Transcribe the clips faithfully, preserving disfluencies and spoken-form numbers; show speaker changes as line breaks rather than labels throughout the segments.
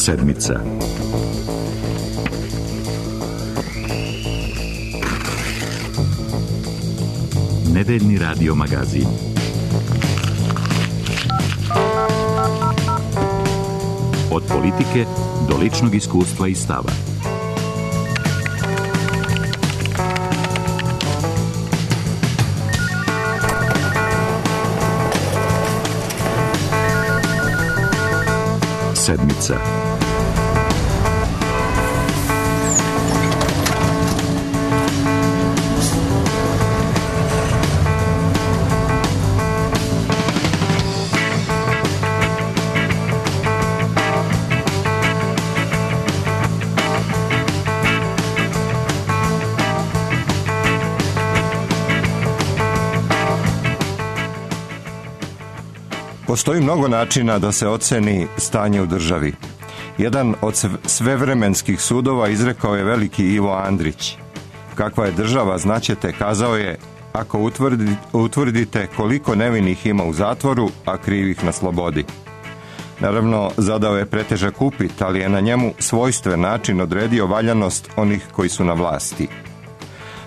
Sedmica. Nedeljni radio magazin. Od politike do ličnog iskustva i stava. Sedmica.
Postoji mnogo načina da se oceni stanje u državi. Jedan od svevremenskih sudova izrekao je veliki Ivo Andrić. Kakva je država, znaćete, kazao je, ako utvrdi, utvrdite koliko nevinih ima u zatvoru, a krivih na slobodi. Naravno, zadao je pretežak upit, ali je na njemu svojstven način odredio valjanost onih koji su na vlasti.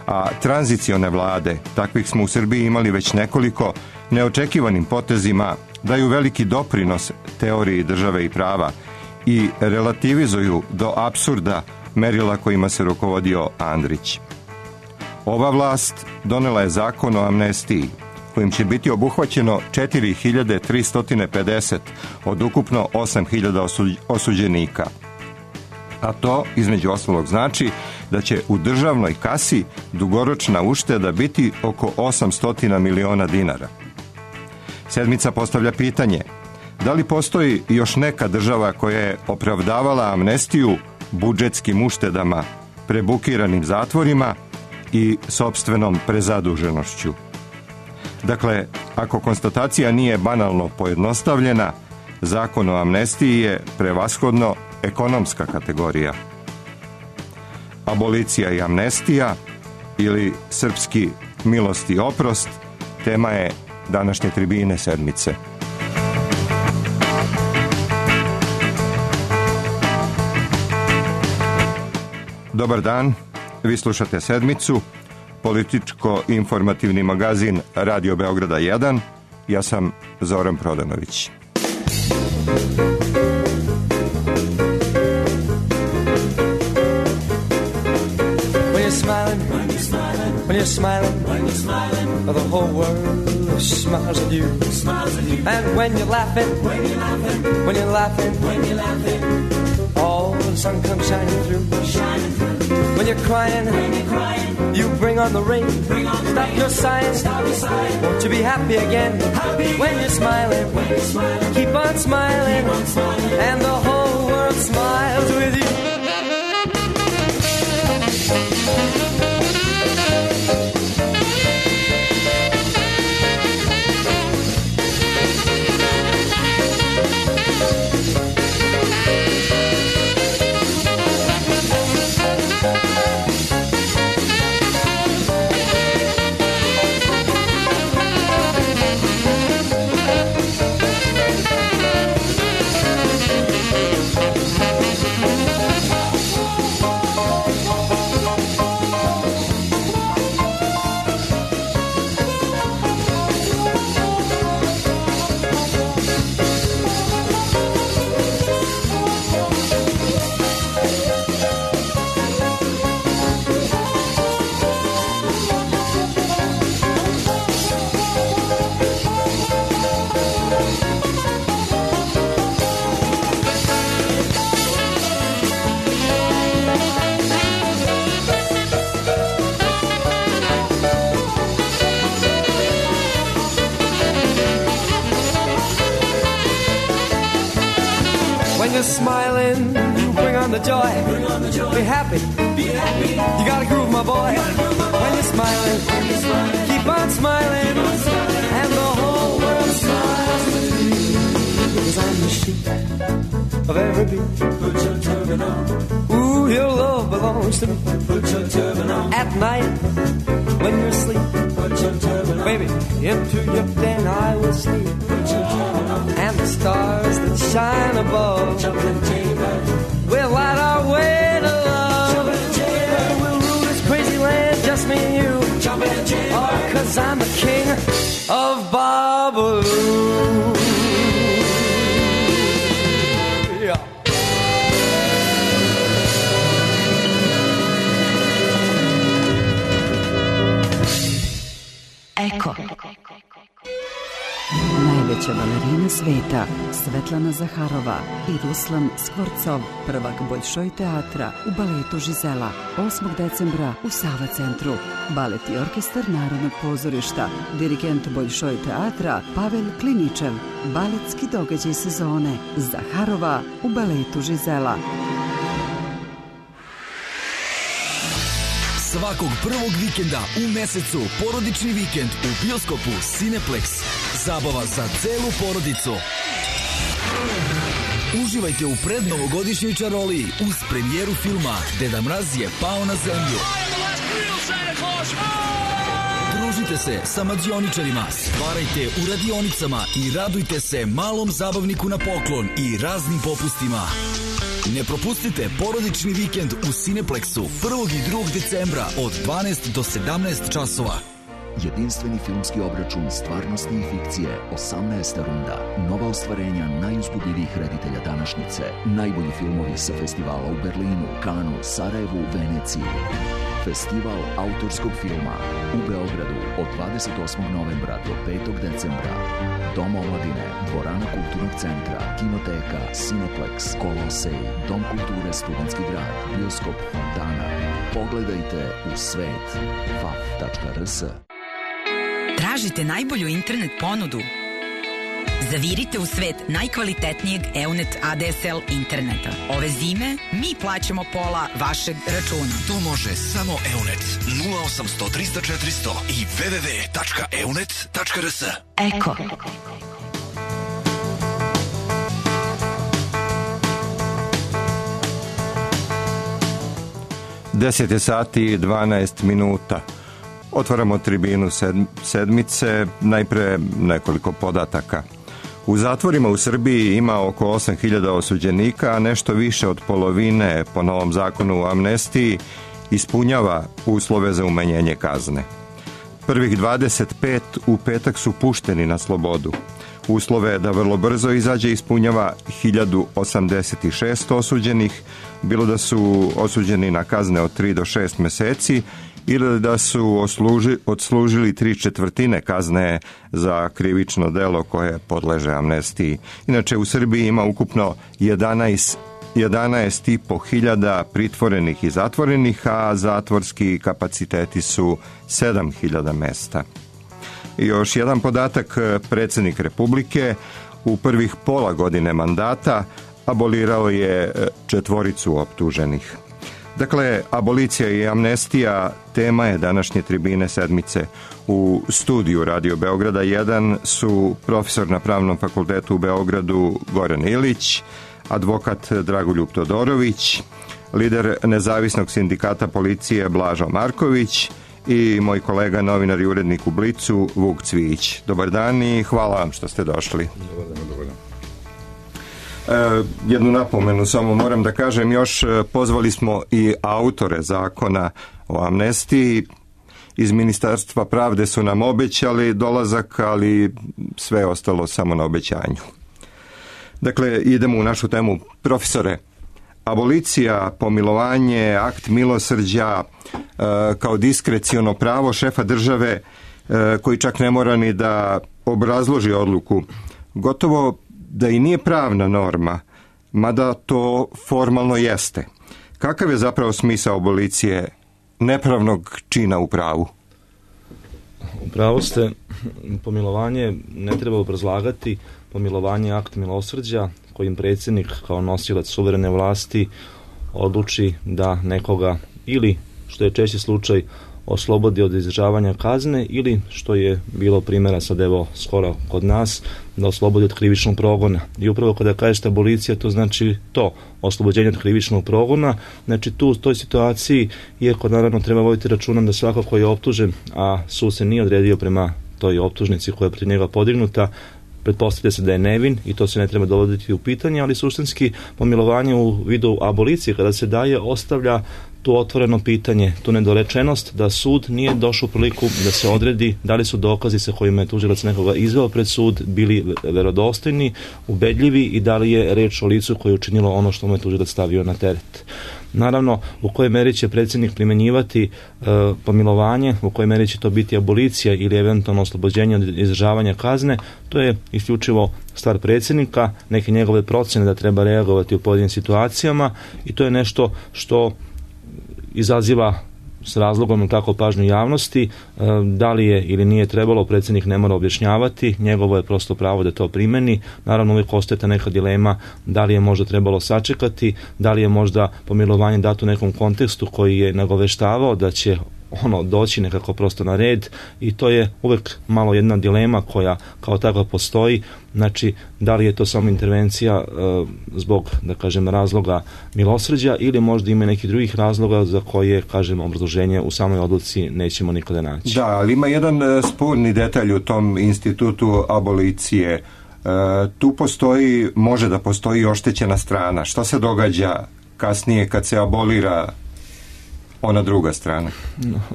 A tranzicione vlade, takvih smo u Srbiji imali već nekoliko, neočekivanim potezima daju veliki doprinos teoriji države i prava i relativizuju do apsurda merila kojima se rukovodio Andrić. Ova vlast donela je zakon o amnestiji, kojim će biti obuhvaćeno četiri hiljade tristo pedeset od ukupno osam hiljada osuđenika. A to, između ostalog, znači da će u državnoj kasi dugoročna ušteda biti oko osamsto miliona dinara. Sedmica postavlja pitanje, da li postoji još neka država koja je opravdavala amnestiju budžetskim uštedama, prebukiranim zatvorima i sopstvenom prezaduženošću? Dakle, ako konstatacija nije banalno pojednostavljena, zakon o amnestiji je prevashodno ekonomska kategorija. Abolicija i amnestija ili srpski milost i oprost tema je današnje tribine Sedmice. Dobar dan, vi slušate Sedmicu, političko-informativni magazin Radio Beograda jedan. Ja sam Zoran Prodanović.
When you're smiling, when you're smiling, when you're smiling, when you're smiling, the whole world smiles at you. Smiles at you. And when you're laughing, when you're laughing, when you're laughing, when you're laughing, all the sun comes shining through. Shining through. When you're crying, when you're crying, you bring on the rain. Bring on the Stop rain. your sighing, Stop your sighing. Won't you be happy again? Happy again. When you're smiling, when you're smiling, keep on smiling, keep on smiling, and the whole world smiles with you. When you're smiling, you bring on the joy. Bring on the joy. Be happy. Be happy. You gotta groove, my boy. Groove, my boy. When you're smiling, when you're smiling, keep on smiling, keep on smiling, and the whole world smiles with you. Because I'm the sheep of every beat. Put your turban on. Ooh, your love belongs to me. Put your turban on. At night, when you're asleep, put your turban on. Baby, into your den I will sleep. Put your turban on. And the stars that shine above blue. Yeah.
Eko. Najveća balerina sveta, Svetlana Zaharova i Ruslan Skvorcov, prvak Boljšoj teatra u baletu Žizela, osmog decembra u Sava centru. Balet i orkestar Narodnog pozorišta, dirigent Boljšoj teatra Pavel Kliničev, baletski događaj sezone, Zaharova u baletu Žizela.
Svakog prvog vikenda u mesecu porodični vikend u bioskopu Cineplex. Zabava za celu porodicu. Uživajte u prednovogodišnjoj čaroliji uz premijeru filma Deda Mraz je pao na zemlju. Družite se sa mađioničarima, stvarajte u radionicama i radujte se malom zabavniku na poklon i raznim popustima. Ne propustite porodični vikend u Cineplexu prvog i drugog decembra od dvanaest do sedamnaest časova.
Jedinstveni filmski obračun stvarnosti i fikcije, osamnaesta runda. Nova ostvarenja najuzbudljivijih reditelja današnjice. Najbolji filmovi sa festivala u Berlinu, Kanu, Sarajevu, Veneciji. Festival autorskog filma u Beogradu od dvadeset osmog novembra do petog decembra. Dom omladine, dvorana kulturnog centra, kinoteka, Cineplex, Kolosej, Dom kulture Studentski grad, bioskop Fontana. Pogledajte u svet. f a f tačka r s.
Tražite najbolju internet ponudu? Zavirite u svet najkvalitetnijeg Eunet A D S L interneta. Ove zime mi plaćamo pola vašeg računa.
To može samo Eunet. nula osamsto trista četiristo i w w w tačka eunet tačka r s.
Eko.
deset je sati i dvanaest minuta. Otvaramo tribinu sedmice, najpre nekoliko podataka. U zatvorima u Srbiji ima oko osam hiljada osuđenika, a nešto više od polovine po novom zakonu o amnestiji ispunjava uslove za umanjenje kazne. Prvih dvadeset pet u petak su pušteni na slobodu. Uslove da vrlo brzo izađe ispunjava hiljadu osamdeset šest osuđenih, bilo da su osuđeni na kazne od tri do šest meseci ili da su osluži, odslužili tri četvrtine kazne za krivično delo koje podleže amnestiji. Inače, u Srbiji ima ukupno jedanaest i po hiljada pritvorenih i zatvorenih, a zatvorski kapaciteti su sedam hiljada mesta. I još jedan podatak, predsjednik Republike u prvih pola godine mandata abolirao je četvoricu optuženih. Dakle, abolicija i amnestija tema je današnje tribine sedmice. U studiju Radio Beograda jedan su profesor na Pravnom fakultetu u Beogradu Goran Ilić, advokat Dragoljub Todorović, lider nezavisnog sindikata policije Blažo Marković i moj kolega novinar i urednik u Blicu Vuk Cvijić. Dobar dan i hvala vam što ste došli.
Dobar dan, dobar dan.
E, jednu napomenu samo moram da kažem još, pozvali smo i autore zakona o amnestiji. Iz Ministarstva pravde su nam obećali dolazak, ali sve je ostalo samo na obećanju. Dakle, idemo u našu temu. Profesore, abolicija, pomilovanje, akt milosrđa e, kao diskreciono pravo šefa države e, koji čak ne mora ni da obrazloži odluku, gotovo da i nije pravna norma, mada to formalno jeste. Kakav je zapravo smisao abolicije nepravnog čina u pravu?
U pravu ste, pomilovanje ne treba obrazlagati, pomilovanje je akt milosrđa kojim predsjednik kao nosilac suverene vlasti odluči da nekoga ili, što je češći slučaj, oslobodi od izdržavanja kazne ili, što je bilo primjera sad evo skoro kod nas, da oslobodi od krivičnog progona. I upravo kada kažete abolicija, to znači to, oslobođenje od krivičnog progona. Znači tu u toj situaciji, iako naravno treba voditi računom da svako ko je optužen, a sud se nije odredio prema toj optužnici koja je protiv njega podignuta, pretpostavlja se da je nevin i to se ne treba dovoditi u pitanje, ali suštinski pomilovanje u vidu abolicije kada se daje ostavlja tu otvoreno pitanje, tu nedorečenost da sud nije došao u priliku da se odredi da li su dokazi sa kojima je tužilac nekoga izveo pred sud bili verodostojni, ubedljivi i da li je reč o licu koje je učinilo ono što mu je tužilac stavio na teret. Naravno, u kojoj meri će predsjednik primjenjivati e, pomilovanje, u kojoj meri će to biti abolicija ili eventualno oslobođenje od izdržavanja kazne, to je isključivo stvar predsjednika, neke njegove procjene da treba reagovati u pojedinim situacijama i to je nešto što izaziva s razlogom tako pažnju javnosti, da li je ili nije trebalo, predsjednik ne mora objašnjavati, njegovo je prosto pravo da to primeni. Naravno uvijek ostaje ta neka dilema da li je možda trebalo sačekati, da li je možda pomilovanje dato u nekom kontekstu koji je nagoveštavao da će ono doći nekako prosto na red i to je uvijek malo jedna dilema koja kao takva postoji. Znači, da li je to samo intervencija e, zbog, da kažem, razloga milosrđa ili možda ima neki drugih razloga za koje, kažem, obrazloženje u samoj odluci nećemo nikada naći.
Da, ali ima jedan e, sporni detalj u tom institutu abolicije. E, tu postoji, može da postoji oštećena strana. Šta se događa kasnije kad se abolira ona druga strana?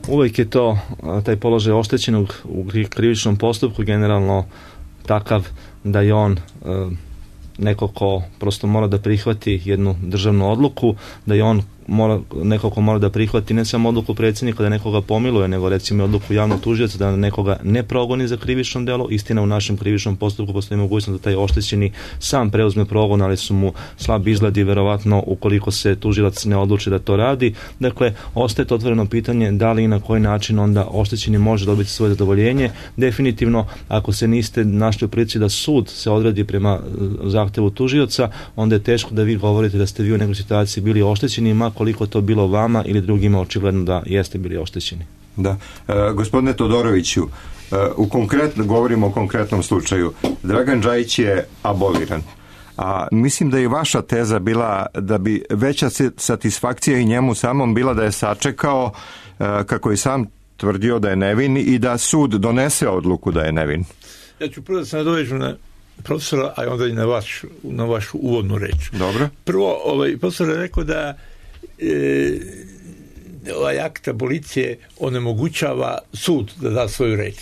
Uvijek je to, taj položaj oštećenog u krivičnom postupku generalno takav da je on e, neko ko prosto mora da prihvati jednu državnu odluku, da je on mora, neko ko mora da prihvati ne samo odluku predsjednika da nekoga pomiluje, nego recimo odluku javnog tužioca da nekoga ne progoni za krivično delo. Istina, u našem krivičnom postupku postoji mogućnost da taj oštećeni sam preuzme progon, ali su mu slab izgledi verovatno ukoliko se tužilac ne odluči da to radi. Dakle, ostaje to otvoreno pitanje da li i na koji način onda oštećeni može dobiti svoje zadovoljenje. Definitivno, ako se niste našli u prilici da sud se odredi prema zahtevu tužioca, onda je teško da vi govorite da ste vi u nekoj situaciji bili oštećeni, ma koliko to bilo vama ili drugima očigledno da jeste bili oštećeni.
Da. E, gospodine Todoroviću, e, u konkretno, govorimo o konkretnom slučaju. Dragan Džajić je aboliran. A mislim da je vaša teza bila da bi veća satisfakcija i njemu samom bila da je sačekao, e, kako je sam tvrdio da je nevin i da sud donese odluku da je nevin.
Ja ću prvo da se nadovežem na profesora, a onda i na, vaš, na vašu uvodnu reč.
Dobro.
Prvo, ovaj, profesor je rekao da e, ovaj akt abolicije onemogućava sud da da svoju reč.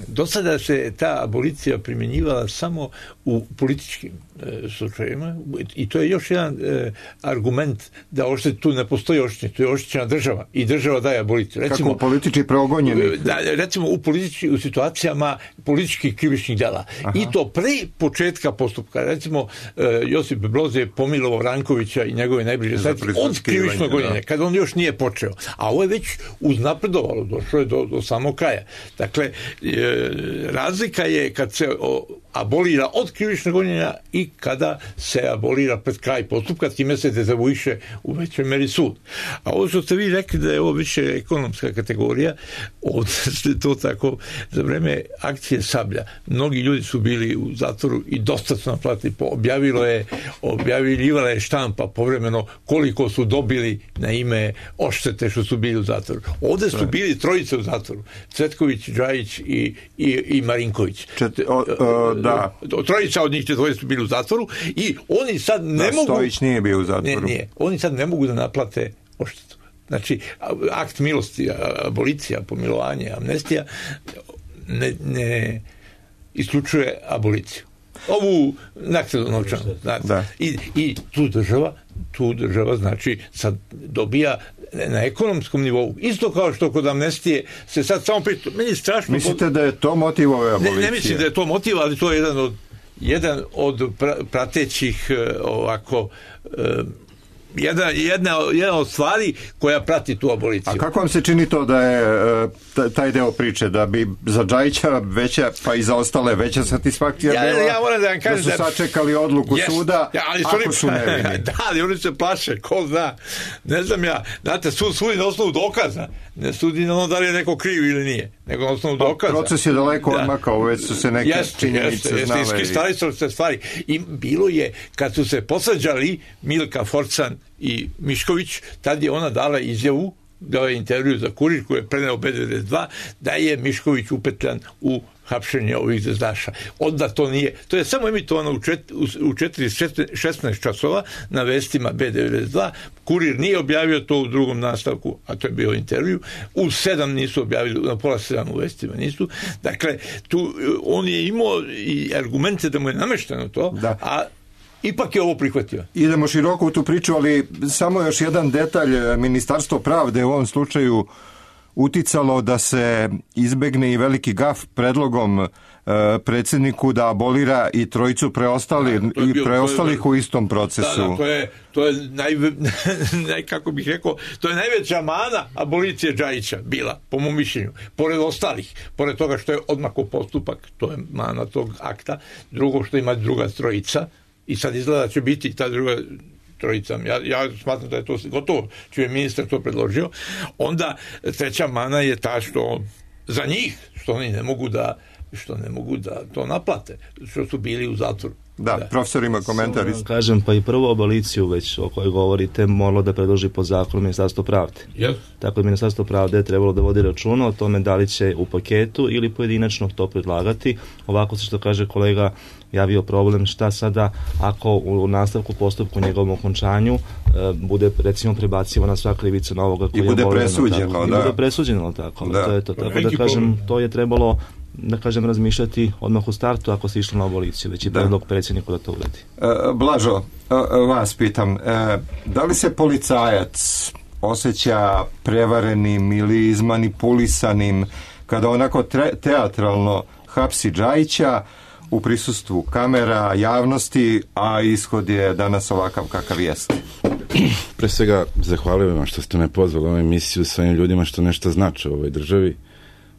Do sada se ta abolicija primjenjivala samo u političkim e, slučajevima i to je još jedan e, argument da oštet, tu ne postoji oštećenje, tu je oštećena država i država daje aboliciju. Recimo,
kako politički progonjeni?
Da, recimo u, politički, u situacijama političkih krivičnih dela. Aha. I to pre početka postupka. Recimo e, Josip Broz je pomilovao Rankovića i njegove najbliže sledbenike od krivičnog gonjenja, kada on još nije počeo. A ovo je već uznapredovalo, došlo je do, do samog kraja. Dakle, E, razlika je kad se o, abolira od krivičnog gonjenja i kada se abolira pred kraj postupka, time se dezavuiše u većoj meri sud. A ovo što ste vi rekli da je ovo više ekonomska kategorija, ovdje ste to tako za vreme akcije Sablja. Mnogi ljudi su bili u zatvoru i dosta su naplatili. Objavilo je, objavljivala je štampa povremeno koliko su dobili na ime odštete što su bili u zatvoru. Ovdje su bili trojice u zatvoru. Cvetković, Džajić i, i, i Marinković.
Čet, o, o, da.
Trojica od njih dvoje su bili u zatvoru i oni sad ne
da,
mogu...
Stojić nije bio u zatvoru.
Ne, nije. Oni sad ne mogu da naplate odštetu. Znači, akt milosti, abolicija, pomilovanje, amnestija ne, ne isključuje aboliciju. Ovu naknadu novčanu. Da. I, I tu država, tu država znači sad dobija na ekonomskom nivou. Isto kao što kod amnestije se sad samo priča. Meni je strašno...
Mislite da je to motiv ove abolicije?
Ne, ne mislim da je to motiv, ali to je jedan od, jedan od pratećih ovako... Jedna, jedna, jedna od stvari koja prati tu aboliciju.
A kako vam se čini to da je taj deo priče, da bi za Džajića veća, pa i za ostale veća satisfakcija
ja,
bila,
ja moram da vam kažem
da su sačekali odluku
yes,
suda,
ja, ali
ako
oni,
su nevini?
Da, ali oni se plaše, ko zna. Ne znam ja, znate, sud sudi na osnovu dokaza, ne sudi na ono da li je neko kriv ili nije, nego na osnovu dokaza.
Proces je daleko da. odmakao, već su se neke jeste, činjenice
jeste,
znale.
Jeste, iskristalisali se stvari. I bilo je, kad su se posađali Milka Forcan i Mišković, tad je ona dala izjavu, dao je intervju za Kurir koji je preneo B devedeset dva, da je Mišković upetljan u hapšenje ovih zvezdaša. Onda to nije. To je samo emitovano u, čet, u četiri šesnaest časova na vestima B devedeset dva. Kurir nije objavio to u drugom nastavku, a to je bio intervju. U sedam nisu objavili, na pola sedam u vestima nisu. Dakle, tu on je imao i argumente da mu je namešteno to, da. A ipak je ovo prihvatio.
Idemo široko u tu priču, ali samo još jedan detalj. Ministarstvo pravde u ovom slučaju uticalo da se izbegne i veliki gaf predlogom e, predsjedniku da abolira i trojicu preostali, da, i bio, preostalih je, u istom procesu.
Da, da, to je, to je naj, naj, kako bih rekao, to je najveća mana abolicije Džajića bila, po mom mišljenju. Pored ostalih, pored toga što je odmako postupak, to je mana tog akta. Drugo, što ima druga trojica, i sad izgleda će biti ta druga trojica. Ja, ja smatram da je to gotovo, čuje ministar to predložio. Onda treća mana je ta što za njih, što oni ne mogu da što ne mogu da to naplate, što su bili u zatvoru.
Da, da. Profesor ima komentar.
Kažem, pa i prvu aboliciju već o kojoj govorite moralo da predloži po zakonu Ministarstvo pravde.
Yes.
Tako je Ministarstvo pravde je trebalo da vodi računa o tome da li će u paketu ili pojedinačno to predlagati. Ovako se, što kaže kolega, javio problem šta sada ako u nastavku postupku njegovom okončanju e, bude recimo prebacivana sva krivica na ovoga koji
I bude
je
presuđeno,
tako,
da.
I bude presuđeno tako.
Da.
To je to. Tako da kažem, to je trebalo da kažem razmišljati odmah u startu ako se išlo na aboliciju, već i predlog predsjedniku da to uradi.
E, Blažo, e, vas pitam, e, da li se policajac osjeća prevarenim ili izmanipulisanim kada onako tre, teatralno hapsi Džajića u prisustvu kamera, javnosti, a ishod je danas ovakav kakav jeste?
Pre svega zahvaljujem vam što ste me pozvali u ovu emisiju s ovim ljudima što nešto znače u ovoj državi,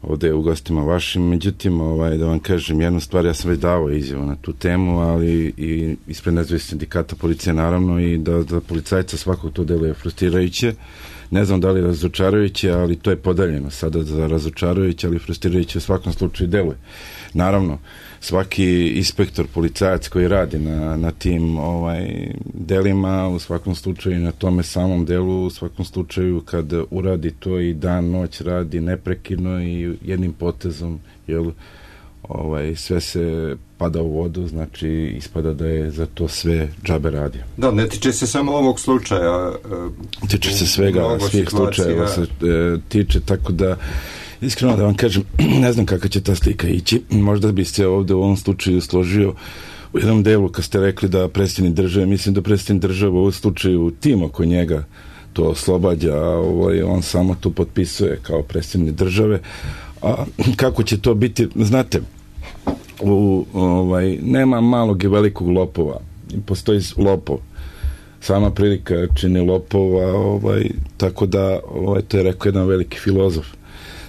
ovdje u gostima vašim. Međutim, ovaj, da vam kažem jednu stvar, ja sam već dao izjavu na tu temu, ali i ispred nezavisnih sindikata policije naravno, i da, da policajca svakog to deluje frustrirajuće. Ne znam da li je razočarajuće, ali to je podeljeno sada za razočarajuće, ali frustrirajuće u svakom slučaju deluje. Naravno, svaki inspektor, policajac koji radi na, na tim ovaj, delima, u svakom slučaju na tome samom delu, u svakom slučaju kad uradi to i dan, noć radi neprekidno i jednim potezom, jel, ovaj, sve se pada u vodu, znači ispada da je za to sve džabe radio.
Da, ne tiče se samo ovog slučaja.
E, tiče se svega, svih slučajeva se e, tiče, tako da iskreno da vam kažem, ne znam kako će ta slika ići. Možda bi se ovdje u ovom slučaju složio u jednom delu kad ste rekli da predsjednik države, mislim da predsjednik države u ovom slučaju tim oko njega to oslobađa, a ovaj, on samo to potpisuje kao predsjednik države. A kako će to biti, znate, u, ovaj, nema malog i velikog lopova, postoji lopov, sama prilika čini lopova, ovaj, tako da ovaj, to je rekao jedan veliki filozof.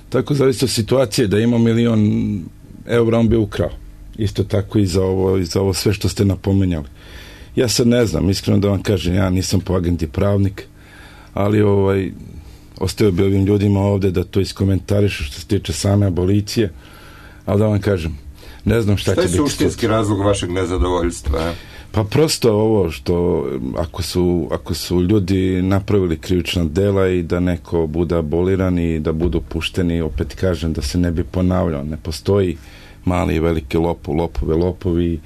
Tako zavisi od situacije da ima milion eura, on bi ukrao. Isto tako i za ovo, i za ovo sve što ste napomenjali. Ja sad ne znam, iskreno da vam kažem, ja nisam po agenti pravnik, ali ovaj, ostavio bi ovim ljudima ovdje da to iskomentarišu što se tiče same abolicije, ali da vam kažem, ne znam šta, šta će biti. Šta je
suštinski razlog vašeg nezadovoljstva? Je?
Pa prosto ovo što ako su, ako su ljudi napravili krivična dela i da neko bude aboliran i da budu pušteni, opet kažem da se ne bi ponavljao, ne postoji mali i veliki lopu, lopove, lopovi,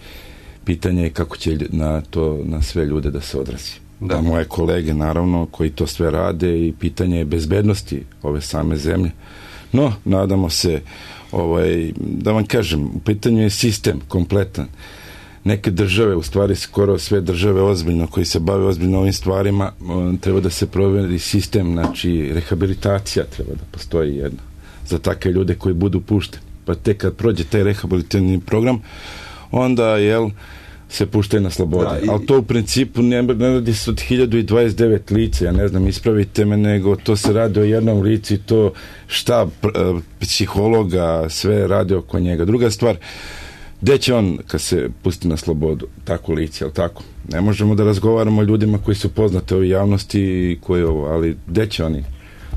pitanje je kako će na to, na sve ljude da se odrazi. Da. Moje kolege naravno koji to sve rade i pitanje je bezbednosti ove same zemlje. No, nadamo se, ovaj, da vam kažem, u pitanju je sistem kompletan. Neke države, u stvari skoro sve države ozbiljno, koji se bave ozbiljno ovim stvarima, treba da se proveri sistem, znači rehabilitacija treba da postoji jedna za takve ljude koji budu pušteni. Pa tek kad prođe taj rehabilitativni program, onda, jel, se puštaju na slobode. I... Ali to u principu ne, ne radi se od hiljadu dvadeset devet lica, ja ne znam, ispravite me, nego to se radi o jednom licu i to štab psihologa, sve radi oko njega. Druga stvar, gde će on kad se pusti na slobodu, tako lice, jel tako? Ne možemo da razgovaramo o ljudima koji su poznati u javnosti i koji ovo, ali gde će oni?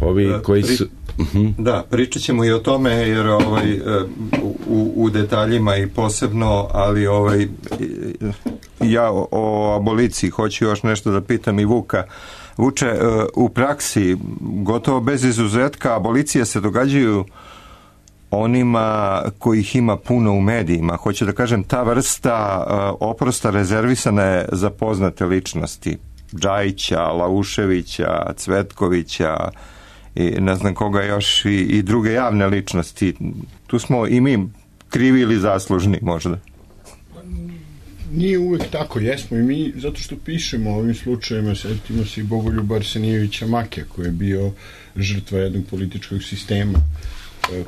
Ovi da, koji pri... su... Uh-huh.
Da, pričat ćemo i o tome, jer ovaj, u, u detaljima i posebno, ali ovaj, ja o, o aboliciji hoću još nešto da pitam i Vuka. Vuče, u praksi, gotovo bez izuzetka, abolicije se događaju onima kojih ima puno u medijima. Hoću da kažem, ta vrsta uh, oprosta rezervisana je za poznate ličnosti. Džajića, Lauševića, Cvetkovića i ne znam koga još i, i druge javne ličnosti. Tu smo i mi krivi ili zaslužni možda.
Nije uvek tako, jesmo i mi, zato što pišemo o ovim slučajima, setimo se i Bogoljuba Arsenijevića Makija, koji je bio žrtva jednog političkog sistema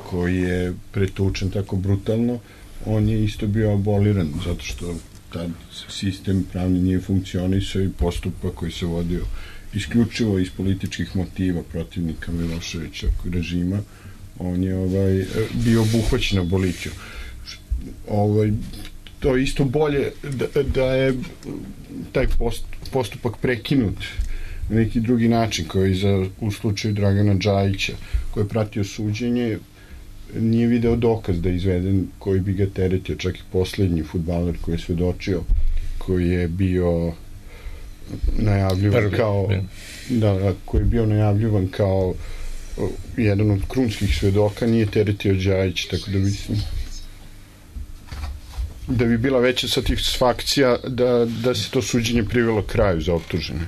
koji je pretučen tako brutalno. On je isto bio aboliran, zato što tad sistem pravni nije funkcionisao i postupak koji se vodio isključivo iz političkih motiva protivnika Miloševića režima, on je ovaj, bio obuhvaćen abolicijom. Ovaj, to je isto bolje da, da je taj post, postupak prekinut na neki drugi način, koji za, u slučaju Dragana Džajića, koji je pratio suđenje, nije video dokaz da je izveden koji bi ga teretio, čak i poslednji fudbaler koji je svedočio, koji je bio najavljivan Prvi, kao da, koji je bio najavljivan kao jedan od krunskih svedoka, nije teretio Džajić, tako da mislim da bi bila veća satisfakcija da, da se to suđenje privelo kraju za optužene.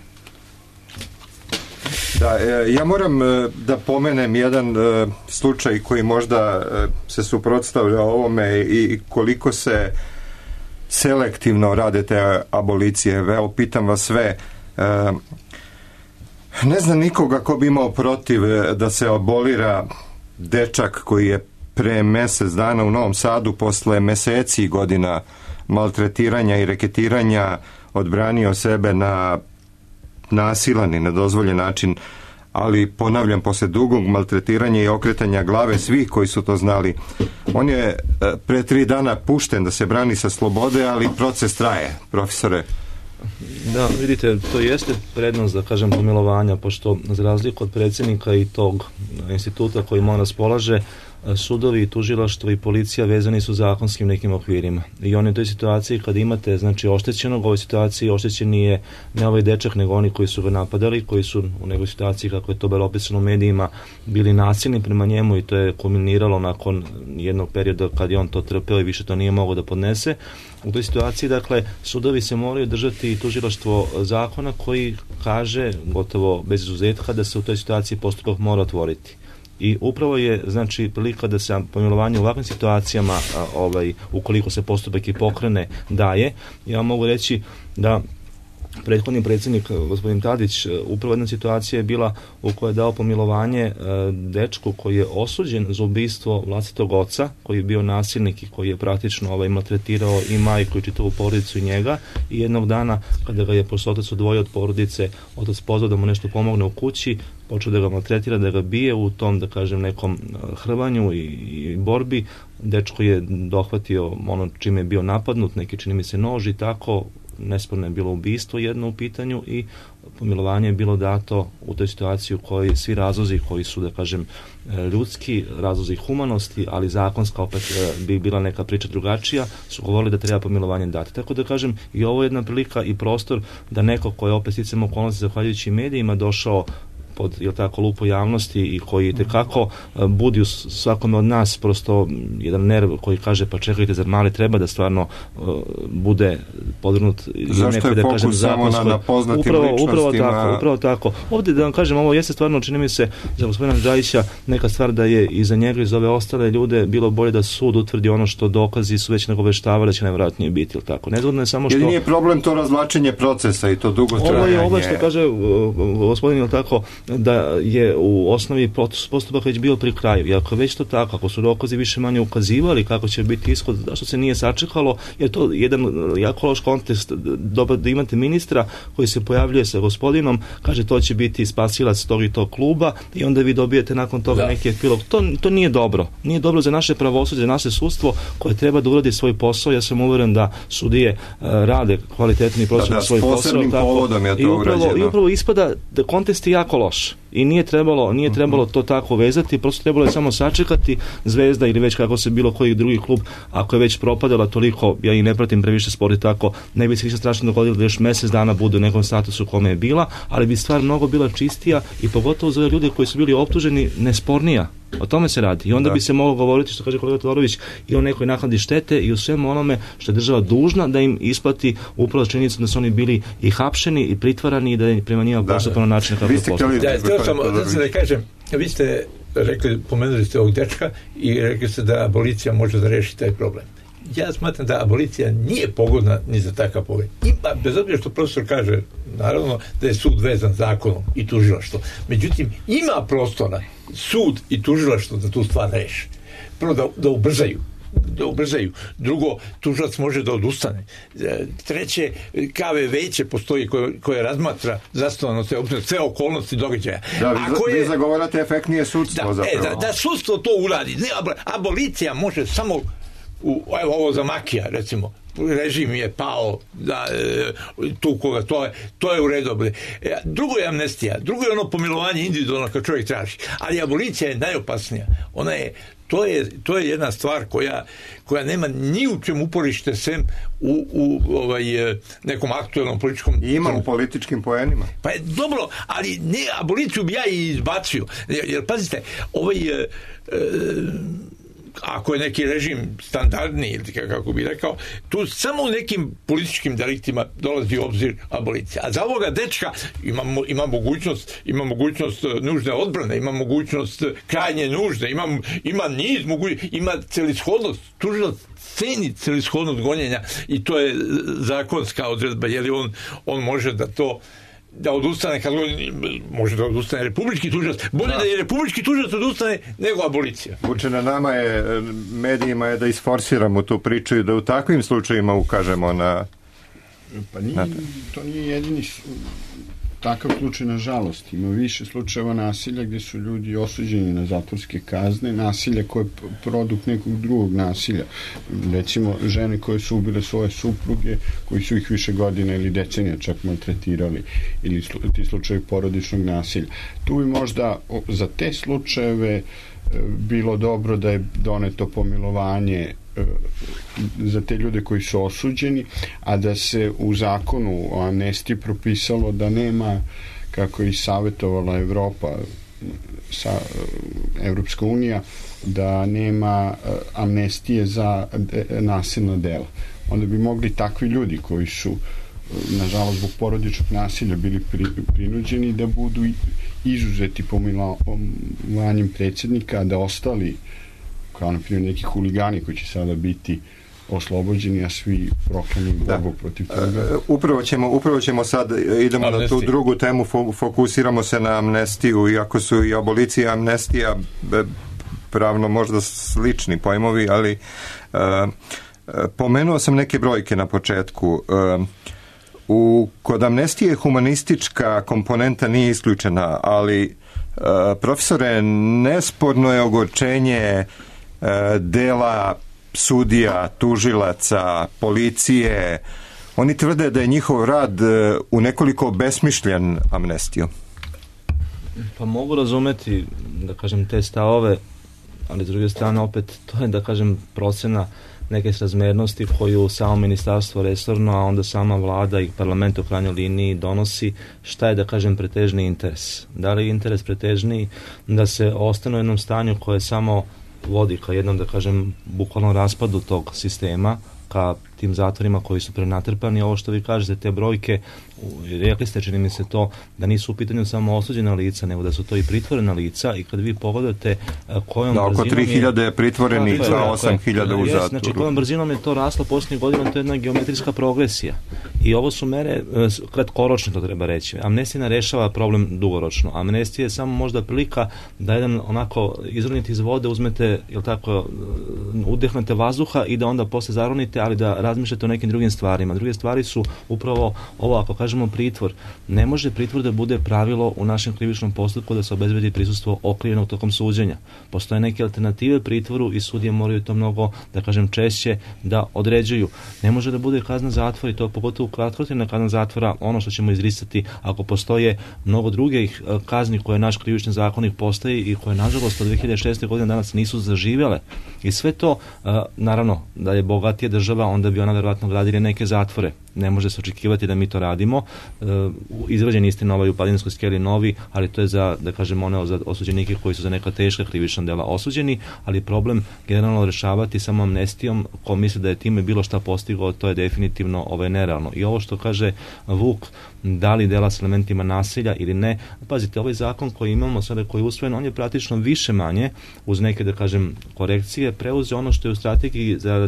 Da, ja moram da pomenem jedan slučaj koji možda se suprotstavlja ovome i koliko se selektivno rade te abolicije. Evo, pitam vas sve. Ne znam nikoga ko bi imao protiv da se abolira dečak koji je pre mesec dana u Novom Sadu posle meseci godina maltretiranja i reketiranja odbranio sebe na nasilan i nedozvoljen način, ali ponavljam, posle dugog maltretiranja i okretanja glave svih koji su to znali. On je pre tri dana pušten da se brani sa slobode, ali proces traje, profesore.
Da, vidite, to jeste prednost, da kažem, pomilovanja, pošto za razliku od predsjednika i tog instituta koji mu raspolaže, sudovi, tužilaštvo i policija vezani su zakonskim nekim okvirima. I oni u toj situaciji kad imate, znači, oštećenog, u ovoj situaciji oštećen nije ne ovaj dečak, nego oni koji su ga napadali, koji su u nekoj situaciji, kako je to bilo opisano u medijima, bili nasilni prema njemu i to je kulminiralo nakon jednog perioda kad je on to trpeo i više to nije mogao da podnese. U toj situaciji, dakle, sudovi se moraju držati tužilaštvo zakona koji kaže, gotovo bez izuzetka, da se u toj situaciji postupak mora otvoriti. I upravo je, znači, prilika da se pomilovanje u ovakvim situacijama, a, ovaj, ukoliko se postupak i pokrene, daje. Ja mogu reći da prethodni predsjednik, gospodin Tadić, upravo jedna situacija je bila u kojoj je dao pomilovanje e, dečku koji je osuđen za ubistvo vlastitog oca, koji je bio nasilnik i koji je praktično ovaj, maltretirao i majku i čitavu porodicu i njega, i jednog dana kada ga je posle otac odvojio od porodice, otac pozvao da mu nešto pomogne u kući, počeo da ga maltretira, da ga bije u tom, da kažem, nekom hrvanju i, i borbi. Dečko je dohvatio ono čime je bio napadnut, neki čini mi se nož i tako. Nesporno je bilo ubistvo jedno u pitanju i pomilovanje je bilo dato u toj situaciji u kojoj svi razlozi koji su, da kažem, ljudski, razlozi humanosti, ali zakonska opet bi bila neka priča drugačija, su govorili da treba pomilovanje dati. Tako da kažem, i ovo je jedna prilika i prostor da neko ko je opet sticam okolnosti zahvaljujući medijima došao pod, jel tako, lupu javnosti i koji tekako budi u svakome od nas prosto jedan nerv koji kaže pa čekajte, zar mali treba da stvarno uh, bude podvrgnut
zašto je
da
fokus
kažem,
samo na, na poznatim
upravo,
ličnostima?
Upravo tako, upravo tako. Ovdje da vam kažem, ovo jeste stvarno, čini mi se, za gospodina Džajića neka stvar da je i za njega i za ove ostale ljude bilo bolje da sud utvrdi ono što dokazi su već nagoveštavali da će najvjerojatnije biti, ili tako. Nezgodno je samo što...
Jer nije problem to razvlačenje procesa i to dugo trajanje.
Ovo je ovo što kaže uh, gospodin, ili tako, da je u osnovi postupak već bio pri kraju. I ako već to tako, ako su dokazi više manje ukazivali kako će biti ishod, zašto se nije sačekalo, jer to je jedan jako loš kontekst, dobro da imate ministra koji se pojavljuje sa gospodinom, kaže to će biti spasilac tog i tog kluba i onda vi dobijete nakon toga da. neki epilog. To, to nije dobro. Nije dobro za naše pravosuđe, za naše sudstvo koje treba da uradi svoj posao. Ja sam uveren da sudije uh, rade kvalitetni prostor da, da, svoj posao.
Povodom je to
I upravo, i upravo ispada da kontekst je jako loš. I nije trebalo, nije trebalo to tako vezati, prosto trebalo je samo sačekati Zvezda ili već kako se bilo koji drugi klub, ako je već propadala toliko, ja i ne pratim previše sport i tako, ne bi se više strašno dogodilo da još mjesec dana bude u nekom statusu kome je bila, ali bi stvar mnogo bila čistija i pogotovo za ljude koji su bili optuženi nespornija. O tome se radi. I onda da. bi se moglo govoriti, što kaže kolega Todorović, i o nekoj naknadi štete i o svemu onome što je država dužna da im isplati upravo činjenicu da su oni bili i hapšeni i pritvarani i da je prema njima postupano način kako je postupano.
Da, htio sam da se da kažem, vi ste rekli, pomenuli ste ovog dečka i rekli ste da abolicija može da reši taj problem. Ja smatram da abolicija nije pogodna ni za takav pogled. Ima, bez obzira što profesor kaže, naravno, da je sud vezan zakonom i tužilaštvo. Međutim, ima prostora sud i tužilaštvo da tu stvar reši. Prvo, da, da ubrzaju. da ubrzaju. Drugo, tužilac može da odustane. Treće, K V veće postoji koje, koje razmatra zasnovano sve, sve okolnosti događaja.
Da, vi, Ako je, vi zagovarate efektnije sudstvo
da,
zapravo.
E, da, da sudstvo to uradi. Ne, abolicija može samo u, evo ovo za Makija, recimo, režim je pao da, tu koga, to je, to je u redu. Drugo je amnestija, drugo je ono pomilovanje individualno kad čovjek traži, ali abolicija je najopasnija. Ona je, to je, to je jedna stvar koja, koja nema ni u čem uporište sem u, u ovaj, nekom aktuelnom političkom...
I ima u političkim poenima.
Pa je dobro, ali ne, aboliciju bi ja i izbacio. Jer, jer pazite, ovaj... E, e, ako je neki režim standardni ili kako bi rekao, tu samo u nekim političkim deliktima dolazi u obzir abolicija. A za ovoga dečka ima, ima mogućnost ima mogućnost nužne odbrane, ima mogućnost krajnje nužde, ima, ima niz mogućnosti, ima celishodnost, tužilac ceni celishodnost gonjenja i to je zakonska odredba, jer on, on može da to da odustane, kad može da odustane republički tužilac, bolje da, da je republički tužilac odustane nego abolicija.
Uče na nama je, medijima je da isforsiramo tu priču i da u takvim slučajima ukažemo na...
Pa nije, na to nije jedini takav slučaj, nažalost. Ima više slučajeva nasilja gdje su ljudi osuđeni na zatvorske kazne, nasilja koje je produkt nekog drugog nasilja. Recimo, žene koje su ubile svoje supruge, koji su ih više godina ili decenija čak maltretirali, ili ti slučajevi porodičnog nasilja. Tu bi možda za te slučajeve bilo dobro da je doneto pomilovanje za te ljude koji su osuđeni, a da se u zakonu o amnestiji propisalo da nema, kako je i savjetovala Evropa, sa, Evropska unija, da nema amnestije za nasilna dela. Onda bi mogli takvi ljudi koji su, nažalost, zbog porodičnog nasilja bili pri, prinuđeni da budu izuzeti pomilovanjem predsjednika, da ostali, kao na primjer neki huligani koji će sada biti oslobođeni, a svi proklani borbu protiv toga.
Uh, upravo ćemo, upravo ćemo sad, idemo amnestiju. Na tu drugu temu, fokusiramo se na amnestiju, iako su i abolicija i amnestija pravno možda slični pojmovi, ali uh, pomenuo sam neke brojke na početku. Uh, u, kod amnestije humanistička komponenta nije isključena, ali uh, profesore, nesporno je ogorčenje uh, dela sudija, tužilaca, policije. Oni tvrde da je njihov rad u nekoliko besmišljen amnestiju.
Pa mogu razumeti, da kažem, te stavove, ali s druge strane opet to je, da kažem, procena neke srazmernosti koju samo ministarstvo resorno, a onda sama vlada i parlament u krajnjoj liniji donosi šta je, da kažem, pretežni interes. Da li je interes pretežniji da se ostane u jednom stanju koje samo vodi ka jednom, da kažem, bukvalnom raspadu tog sistema, ka tim zatvorima koji su prenatrpani. Ovo što vi kažete, te brojke, rekli ste, čini mi se to, da nisu u pitanju samo osuđena lica, nego da su to i pritvorena lica, i kad vi pogledate kojom
da,
brzinom
oko tri hiljade je pritvorenih za osam hiljada u zatvoru. Znači, kojom brzinom je to raslo posljednjih godina, to je jedna geometrijska progresija. I ovo su mere kratkoročne, to treba reći. Amnestija ne rešava problem dugoročno. Amnestija je samo možda prilika da jedan onako izronite iz vode, uzmete, jel tako, udehnete vazduha i da onda posle zaronite, ali da razmišljate o nekim drugim stvarima. Druge stvari su upravo ovo, ako kažemo pritvor. Ne može pritvor da bude pravilo u našem krivičnom postupku, da se obezbedi prisustvo okrivljenog tokom suđenja. Postoje neke alternative pritvoru i sudije moraju to mnogo, da kažem, češće da određuju. Ne može da bude kazna zatvora, i to pogotovo
kratkotrajna kazna zatvora ono što ćemo izricati ako postoje mnogo drugih kazni koje naš krivični zakonik postoji i koje nažalost od dve hiljade šeste. godine danas nisu zaživjele. I sve to, naravno, da je bogatija država, onda bi ona vjerojatno gradila neke zatvore. Ne može se očekivati da mi to radimo. Izrađen istina ovaj u Padinskoj skeli novi, ali to je za, da kažem, one za osuđenike koji su za neka teška krivična dela osuđeni, ali problem generalno rešavati samo amnestijom, ko misli da je time bilo šta postigao, to je definitivno ovaj nerealno. I ovo što kaže Vuk, da li dela s elementima nasilja ili ne, pazite, ovaj zakon koji imamo sada, koji je usvojen, on je praktično više manje, uz neke, da kažem, korekcije, preuzeo ono što je u strategiji za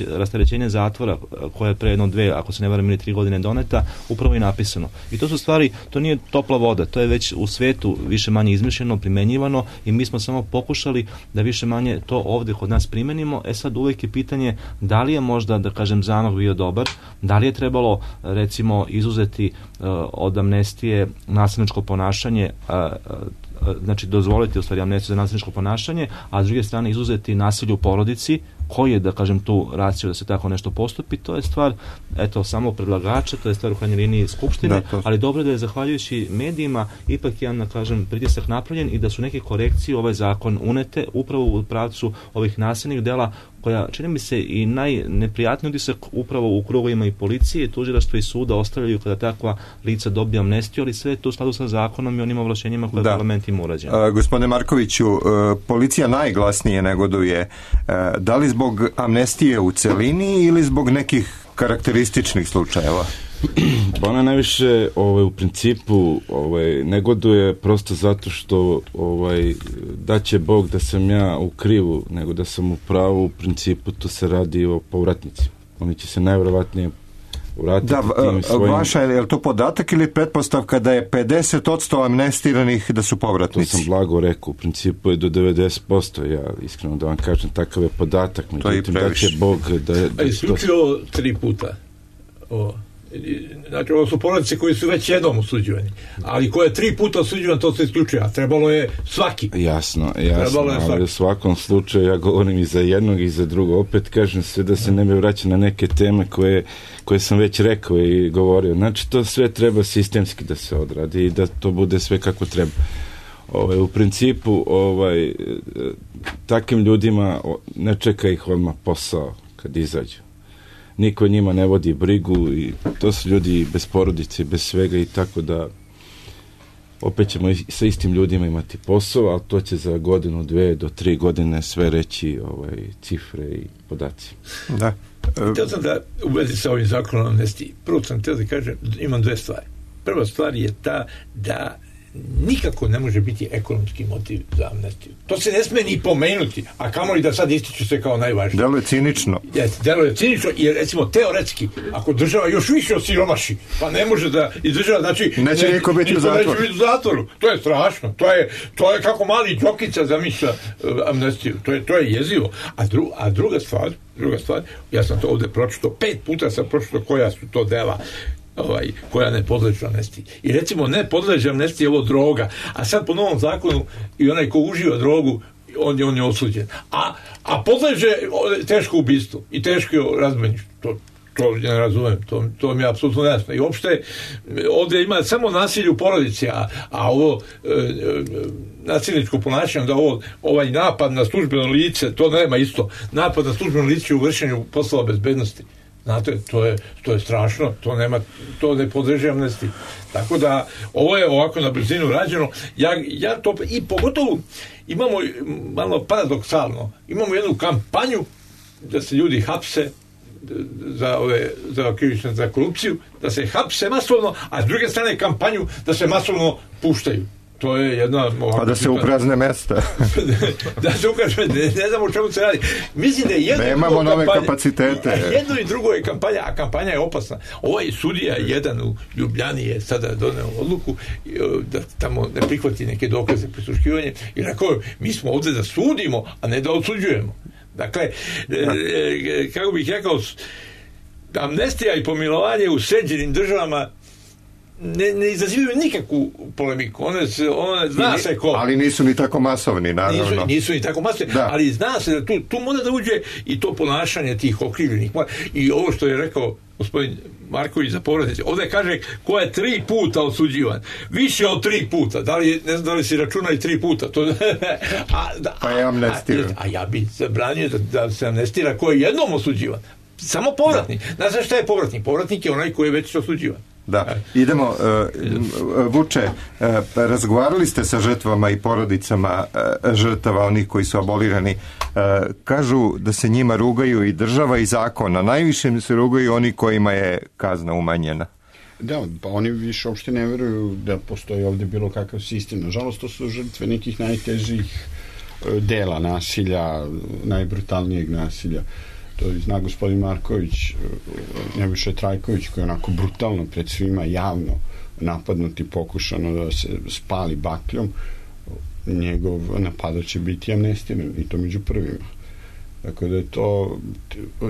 rasterećenje zatvora, koja je pre jedno dve, ako se ne varam, ili tri godine doneta, upravo i napisano. I to su stvari, to nije topla voda, to je već u svetu više manje izmišljeno, primenjivano i mi smo samo pokušali da više manje to ovde kod nas primenimo. E sad uvek je pitanje da li je možda, da kažem, zamah bio dobar, da li je trebalo, recimo, izuzeti uh, od amnestije nasilničko ponašanje, uh, uh, znači dozvoliti u stvari amnestiju za nasilničko ponašanje, a s druge strane izuzeti nasilje u porodici, koji je, da kažem, tu racio da se tako nešto postupi, to je stvar, eto, samo predlagača, to je stvar u krajnjoj liniji Skupštine, da, ali dobro je da je zahvaljujući medijima ipak jedan, da kažem, pritisak napravljen i da su neke korekcije u ovaj zakon unete upravo u pravcu ovih nasilnih dela, koja, čini mi se, i najneprijatniji utisak upravo u krugovima i policije, tužilaštva i suda ostavljaju kada takva lica dobije amnestiju, ali sve je to u skladu sa zakonom i onim ovlašćenjima koje parlament ima urađeno.
Gospodine Markoviću, policija najglasnije negoduje. Da li zbog amnestije u celini ili zbog nekih karakterističnih slučajeva?
Ona najviše ovaj, u principu ovaj, negoduje prosto zato što ovaj, da će Bog da sam ja u krivu nego da sam u pravu. U principu to se radi o povratnici. Oni će se najvjerovatnije vratiti
da,
tim svojim...
Vaša, je li to podatak ili pretpostavka da je pedeset posto amnestiranih da su povratnici?
To sam blago rekao, u principu je do devedeset posto, ja iskreno da vam kažem, takav je podatak, međutim da će Bog da... da
A isključio da... tri puta o... Znači, ovo su porodice koji su već jednom osuđivani, ali koje je tri puta osuđivan, to se isključuje, a trebalo je svaki.
Jasno, jasno, ali u svakom slučaju ja govorim i za jednog i za drugo. Opet kažem sve da se ne bi vraćao na neke teme koje, koje sam već rekao i govorio. Znači, to sve treba sistemski da se odradi i da to bude sve kako treba. Ovaj, u principu, ovaj, takvim ljudima ne čeka ih odmah posao kad izađu. Niko njima ne vodi brigu i to su ljudi bez porodice, bez svega i tako da opet ćemo i sa istim ljudima imati posao, ali to će za godinu, dve do tri godine sve reći ovaj, cifre i podaci.
Da.
Htio sam da u vezi sa ovim zakonom amnestiji. Prvo sam htio da kažem, imam dve stvari. Prva stvar je ta da nikako ne može biti ekonomski motiv za amnestiju. To se ne sme ni pomenuti, a kamoli da sad ističu se kao najvažnije.
Delo je cinično.
Jeste, delo je cinično, jer recimo teoretski, ako država još više osiromaši, pa ne može da izdržava, znači
neće ne, niko biti u zatvoru.
Neće biti u zatvoru. To je strašno. To je, to je kako mali Đokica zamišlja uh, amnestiju. To je, to je jezivo. A, dru, a druga stvar, druga stvar, ja sam to ovde pročitao, pet puta sam pročitao koja su to dela ovaj, koja ne podležu amnestiji. I recimo ne podleže amnestiji ovo droga, a sad po novom zakonu i onaj ko uživa drogu, on je, on je osuđen. A, a podleže teško ubistvo i teško razbojništvo. To, to ne razumem, to, to mi je apsolutno jasno. I uopšte ovdje ima samo nasilje u porodici, a, a ovo e, e, nasilničko ponašanje, da ovo, ovaj napad na službeno lice, to nema isto. Napad na službeno lice u vršenju poslova bezbednosti. Znate, to je, to je strašno, to nema, to ne podleže amnestiji. Tako da, ovo je ovako na brzinu rađeno. Ja, ja to, i pogotovo imamo malo paradoksalno, imamo jednu kampanju da se ljudi hapse za ove, za krivične, za korupciju, da se hapse masovno, a s druge strane kampanju da se masovno puštaju. To je jedna...
Pa da se uprazne mesta.
da se ukaže, ne, ne znam o čemu se radi. Mislim da je jedno
nemamo
i
nove
kampanja,
kapacitete.
Jedno i drugo je kampanja, a kampanja je opasna. Ovaj sudija, jedan u Ljubljani je sada doneo odluku da tamo ne prihvati neke dokaze prisluškivanje i rekao, mi smo ovdje da sudimo, a ne da odsuđujemo. Dakle, e, kako bih rekao, amnestija i pomilovanje u sređenim državama ne, ne izazivaju nikakvu polemiku. One, se, one zna se ko.
Ali nisu ni tako masovni, naravno.
Nisu, nisu ni tako masovni, da. Ali zna se da tu, tu mora da uđe i to ponašanje tih okrivljenih. I ovo što je rekao gospodin Marković za povratnice, ovdje kaže ko je tri puta osuđivan. Više od tri puta. Da li, ne znam da li si računa i tri puta. To, a, da,
pa je amnestiran.
A, a ja bi zabranio da, da se amnestira ko je jednom osuđivan. Samo povratnik. Da. Znaš šta je povratnik? Povratnik je onaj koji je već osuđivan.
Da, idemo, uh, Vuče, uh, razgovarali ste sa žrtvama i porodicama uh, žrtava, onih koji su abolirani. Uh, kažu da se njima rugaju i država i zakon, a najviše se rugaju oni kojima je kazna umanjena.
Da, pa oni više uopšte ne veruju da postoji ovdje bilo kakav sistem. Nažalost, to su žrtve nekih najtežih dela nasilja, najbrutalnijeg nasilja. To zna gospodin Marković, Nebojša Trajković, koji je onako brutalno pred svima javno napadnuti, pokušano da se spali bakljom, njegov napadač će biti amnestiran i to među prvima. Tako da je to,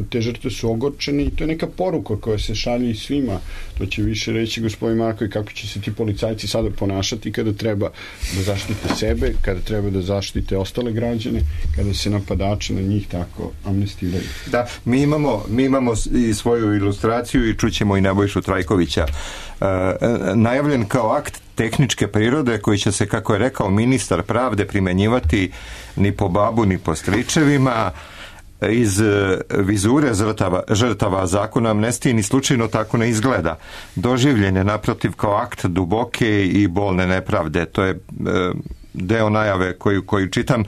te žrtve su ogorčene i to je neka poruka koja se šalje i svima. To će više reći gospodin Marković kako će se ti policajci sada ponašati kada treba da zaštite sebe, kada treba da zaštite ostale građane, kada se napadače na njih tako amnestiraju.
Da, mi imamo, mi imamo i svoju ilustraciju i čućemo i Nebojšu Trajkovića. E, najavljen kao akt tehničke prirode koji će se, kako je rekao ministar pravde, primenjivati ni po babu ni po stričevima. Iz vizure žrtava, žrtava zakona amnestije ni slučajno tako ne izgleda. Doživljen je naprotiv kao akt duboke i bolne nepravde. To je e, deo najave koju, koju čitam. E,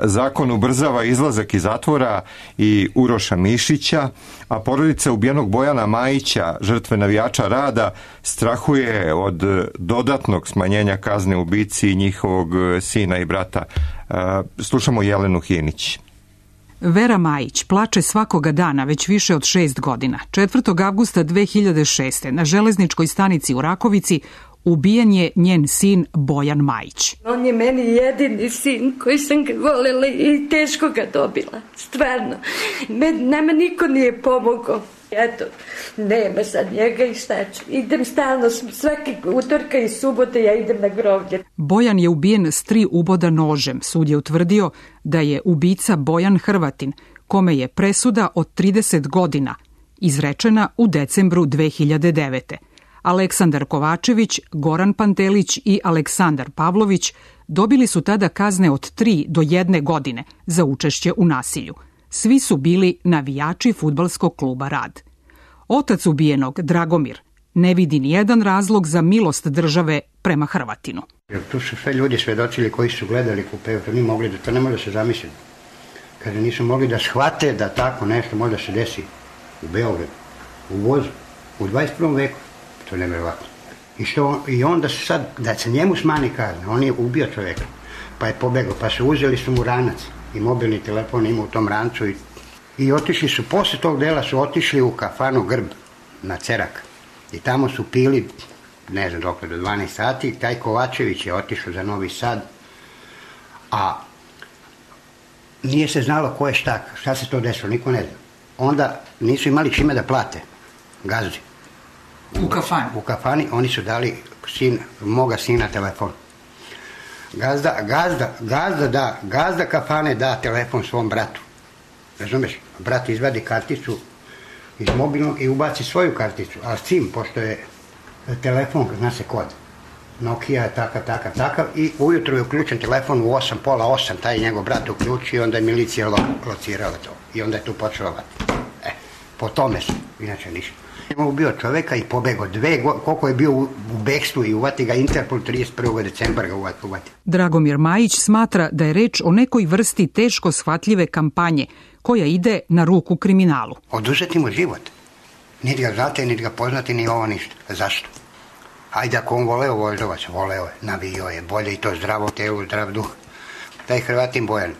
zakon ubrzava izlazak iz zatvora i Uroša Mišića, a porodica ubijenog Bojana Majića, žrtve navijača rada, strahuje od dodatnog smanjenja kazne ubici njihovog sina i brata. E, slušamo Jelenu Hinić.
Vera Majić plače svakoga dana već više od šest godina. četvrtog avgusta dve hiljade šeste. na železničkoj stanici u Rakovici ubijen je njen sin Bojan Majić.
On je meni jedini sin koji sam ga voljela i teško ga dobila. Stvarno. Nama niko nije pomogao. Eto, nema sad njega i šta ću. Idem stalno, svaki utorka i subote ja idem na groblje.
Bojan je ubijen s tri uboda nožem. Sud je utvrdio da je ubica Bojan Hrvatin, kome je presuda od trideset godina izrečena u decembru dve hiljade devete. Aleksandar Kovačević, Goran Pantelić i Aleksandar Pavlović dobili su tada kazne od tri do jedne godine za učešće u nasilju. Svi su bili navijači fudbalskog kluba Rad. Otac ubijenog, Dragomir, ne vidi nijedan razlog za milost države prema Hrvatinu.
Jer tu su sve ljudi svedočili koji su gledali kupe, to, mogli da, to ne može da se zamisliti. Kaže, nisu mogli da shvate da tako nešto može da se desi u Beogradu, u vozu, u dvadeset prvom veku. To je nevjerovatno. I, što, I onda se sad, da se njemu smani kazna, on je ubio čovjeka, pa je pobegao, pa su uzeli su mu ranac i mobilni telefon ima u tom rancu i, i otišli su, posle tog dela su otišli u kafanu Grb na Cerak i tamo su pili, ne znam dok do dvanaest sati, taj Kovačević je otišao za Novi Sad, a nije se znalo ko je šta, šta se to desilo, niko ne zna. Onda nisu imali čime da plate gazdi.
U kafani?
U kafani, oni su dali sin, moga sina telefon. Gazda, gazda, gazda da, gazda kafane da telefon svom bratu. Razumeš? Brat izvadi karticu iz mobilnog i ubaci svoju karticu, a s tim, pošto je telefon, zna se kod, Nokia je takav, takav, takav, i ujutro je uključen telefon u osam, pola osam, taj njegov brat uključi i onda je milicija lo, locirala to. I onda je tu počelo vati. E, po tome su, inače ništa. Je ubio čoveka i pobego dve, koliko je bio u, u bekstvu i uvati ga Interpol trideset prvog decembra ga uvati.
Dragomir Majić smatra da je reč o nekoj vrsti teško shvatljive kampanje koja ide na ruku kriminalu.
Oduzeti mu život. Niti ga znate, niti ga poznati, ni ovo ništa. Zašto? Ajde, ako on voleo Voždovac, voleo je, navio je, bolje i to zdravo telo, zdrav duh. Taj Hrvatin Bojan,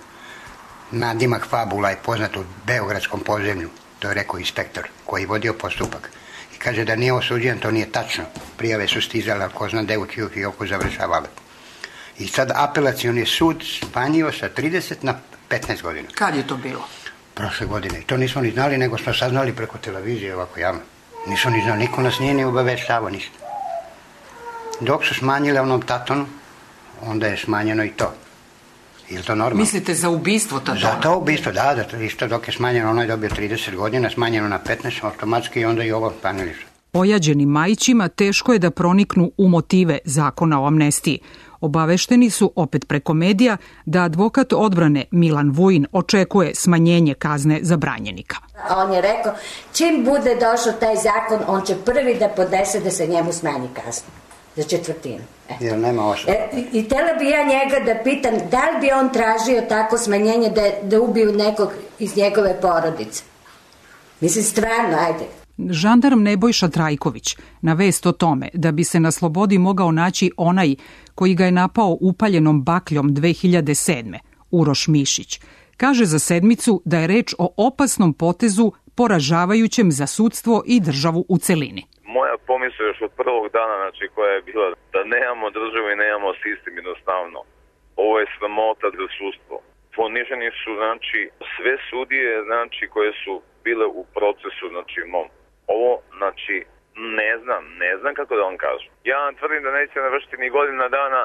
nadimak Fabula je poznat u beogradskom podzemlju, to je rekao inspektor koji vodio postupak. I kaže da nije osuđen, to nije tačno. Prijave su stizale, ko zna da je u čiju fioku završavale. I sad apelacioni sud smanjio sa trideset na petnaest godina.
Kad je to bilo?
Prošle godine. I to nismo ni znali, nego smo saznali preko televizije ovako javno. Nisu ni znali, niko nas nije ni obaveštavao ništa. Dok su smanjili onom tatonu, onda je smanjeno i to. Je li to normalno?
Mislite za ubistvo tatona?
Za to ubistvo, da, da, isto dok je smanjeno, ono je dobio trideset godina, smanjeno na petnaest, automatski i onda i ovo smanjili su.
Ojađenim Majićima teško je da proniknu u motive zakona o amnestiji. Obavešteni su, opet preko medija, da advokat odbrane Milan Vujin očekuje smanjenje kazne za branjenika.
A on je rekao, čim bude došao taj zakon, on će prvi da podnese da se njemu smanji kazna. Za četvrtinu. E.
Jer nema osoba.
E, I htjela bi ja njega da pitam, da li bi on tražio tako smanjenje da, da ubiju nekog iz njegove porodice? Mislim, stvarno, ajde.
Žandarm Nebojša Trajković na vest o tome da bi se na slobodi mogao naći onaj koji ga je napao upaljenom bakljom dve hiljade sedme, Uroš Mišić, kaže za sedmicu da je reč o opasnom potezu poražavajućem za sudstvo i državu u celini.
Moja pomisla još od prvog dana, znači, koja je bila da nemamo državu i nemamo sistem jednostavno. Ovo je sramota za sudstvo. Poniženi su, znači, sve sudije, znači, koje su bile u procesu, znači, mom. Ovo, znači, ne znam, ne znam kako da vam kažem. Ja vam tvrdim da neće navršiti ni godina dana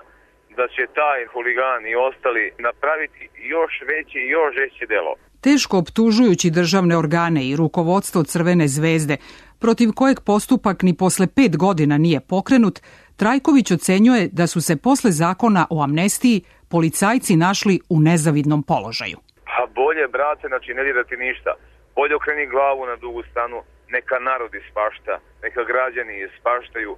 da će taj huligan i ostali napraviti još veće i još žešće delo.
Teško optužujući državne organe i rukovodstvo Crvene zvezde, protiv kojeg postupak ni posle pet godina nije pokrenut, Trajković ocenjuje da su se posle zakona o amnestiji policajci našli u nezavidnom položaju.
A bolje, brate, znači ne dirati ništa. Bolje okreni glavu na dugu stranu, neka narod ispašta, neka građani ispaštaju,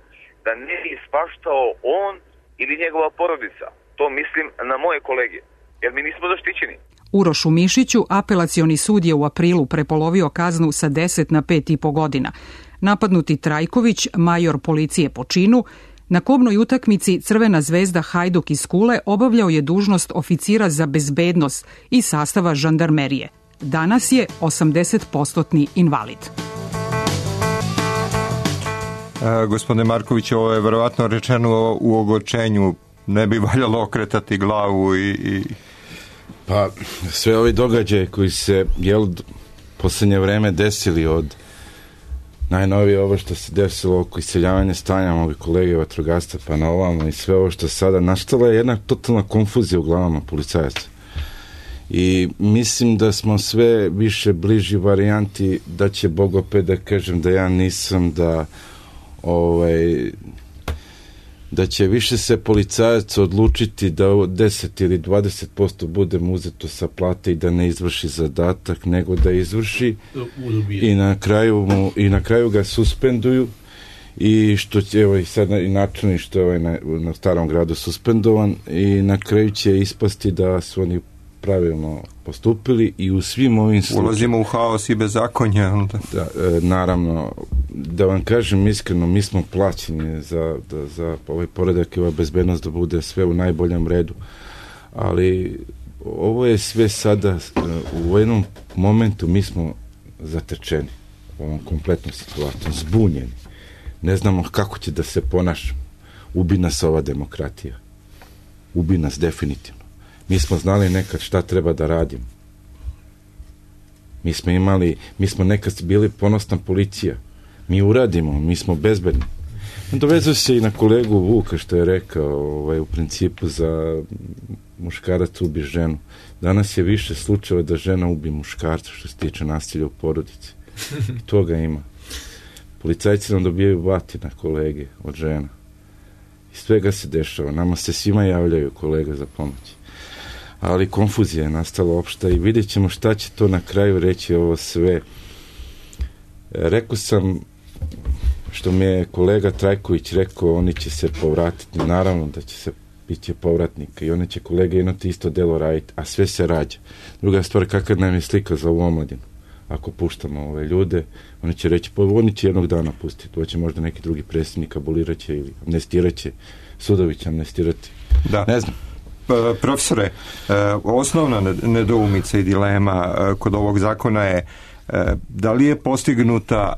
da ne ispaštao on ili njegova porodica. To mislim na moje kolege, jer mi nismo zaštićeni.
Urošu Mišiću apelacioni sud je u aprilu prepolovio kaznu sa deset na pet i po godina. Napadnuti Trajković, major policije po činu, na kobnoj utakmici Crvena zvezda Hajduk iz Kule obavljao je dužnost oficira za bezbednost iz sastava žandarmerije. Danas je osamdeset posto invalid.
E, gospodine Marković, ovo je verovatno rečeno u ogorčenju. Ne bi valjalo okretati glavu i... i...
Pa, sve ovi događaje koji se, jel, poslednje vreme desili od najnovije ovo što se desilo oko iseljavanja stanja ovih kolege vatrogasca pa na ovamo i sve ovo što sada nastala je jedna totalna konfuzija u glavama policajaca. I mislim da smo sve više bliži varijanti da će Bog opet da kažem da ja nisam da ovaj da će više se policajac odlučiti da deset ili dvadeset posto bude mu uzeto sa plate i da ne izvrši zadatak, nego da izvrši i na kraju, mu, i na kraju ga suspenduju i što će, evo i sad i načelnik što je ovaj na, na Starom gradu suspendovan i na kraju će ispasti da su oni pravilno postupili i u svim ovim slučajima...
Ulazimo u haos i bezakonje.
Da, e, naravno, da vam kažem iskreno, mi smo plaćeni za, da, za ovaj poredak i ova bezbednost da bude sve u najboljem redu, ali ovo je sve sada u jednom momentu mi smo zatečeni u ovom kompletnom situaciju, zbunjeni. Ne znamo kako će da se ponašamo. Ubi nas ova demokratija. Ubi nas definitivno. Mi smo znali nekad šta treba da radimo. Mi smo imali, mi smo nekad bili ponosna policija. Mi uradimo, mi smo bezbedni. Dovezao se i na kolegu Vuka što je rekao, ovaj, u principu za muškarac ubi ženu. Danas je više slučajeva da žena ubi muškarca što se tiče nasilja u porodici. I toga ima. Policajci nam dobijaju batina kolege od žena. I svega se dešava. Nama se svima javljaju kolega za pomoć. Ali konfuzija je nastala opšta i vidjet ćemo šta će to na kraju reći ovo sve. Rekao sam, što mi je kolega Trajković rekao, oni će se povratiti, naravno da će se biće povratnika i oni će kolega imati isto delo raditi, a sve se rađa. Druga stvar, kakav nam je slika za ovu omladinu. Ako puštamo ove ljude, oni će reći, pa oni će jednog dana pustiti, to će možda neki drugi predsjednik aboliraće ili amnestiraće, sudovi će amnestirati.
Da.
Ne znam.
Profesore, osnovna nedoumica i dilema kod ovog zakona je da li je postignuta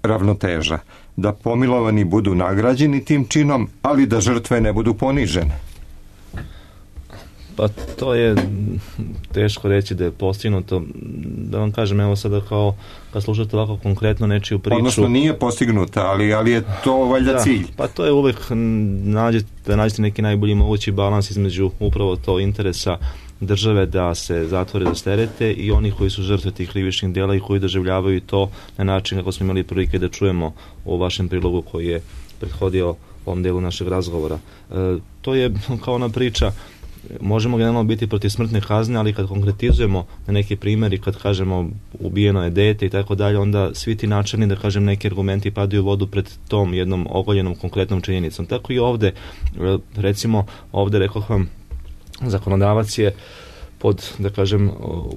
ravnoteža, da pomilovani budu nagrađeni tim činom, ali da žrtve ne budu ponižene.
Pa to je teško reći da je postignuto. Da vam kažem, evo sada kao kad slušate ovako konkretno nečiju priču...
Odnosno nije postignuta, ali, ali je to valjda cilj.
Da, pa to je uvek nađete, da nađete neki najbolji mogući balans između upravo to interesa države da se zatvore za sterete i oni koji su žrtve tih krivičnih dela i koji doživljavaju to na način kako smo imali prilike da čujemo u vašem prilogu koji je prethodio ovom delu našeg razgovora. E, to je kao ona priča, možemo generalno biti protiv smrtne kazne, ali kad konkretizujemo na neki primjer i kad kažemo ubijeno je dete i tako dalje, onda svi ti načelni, da kažem, neki argumenti padaju u vodu pred tom jednom ogoljenom konkretnom činjenicom. Tako i ovde, recimo, ovde rekao vam, zakonodavac je pod, da kažem,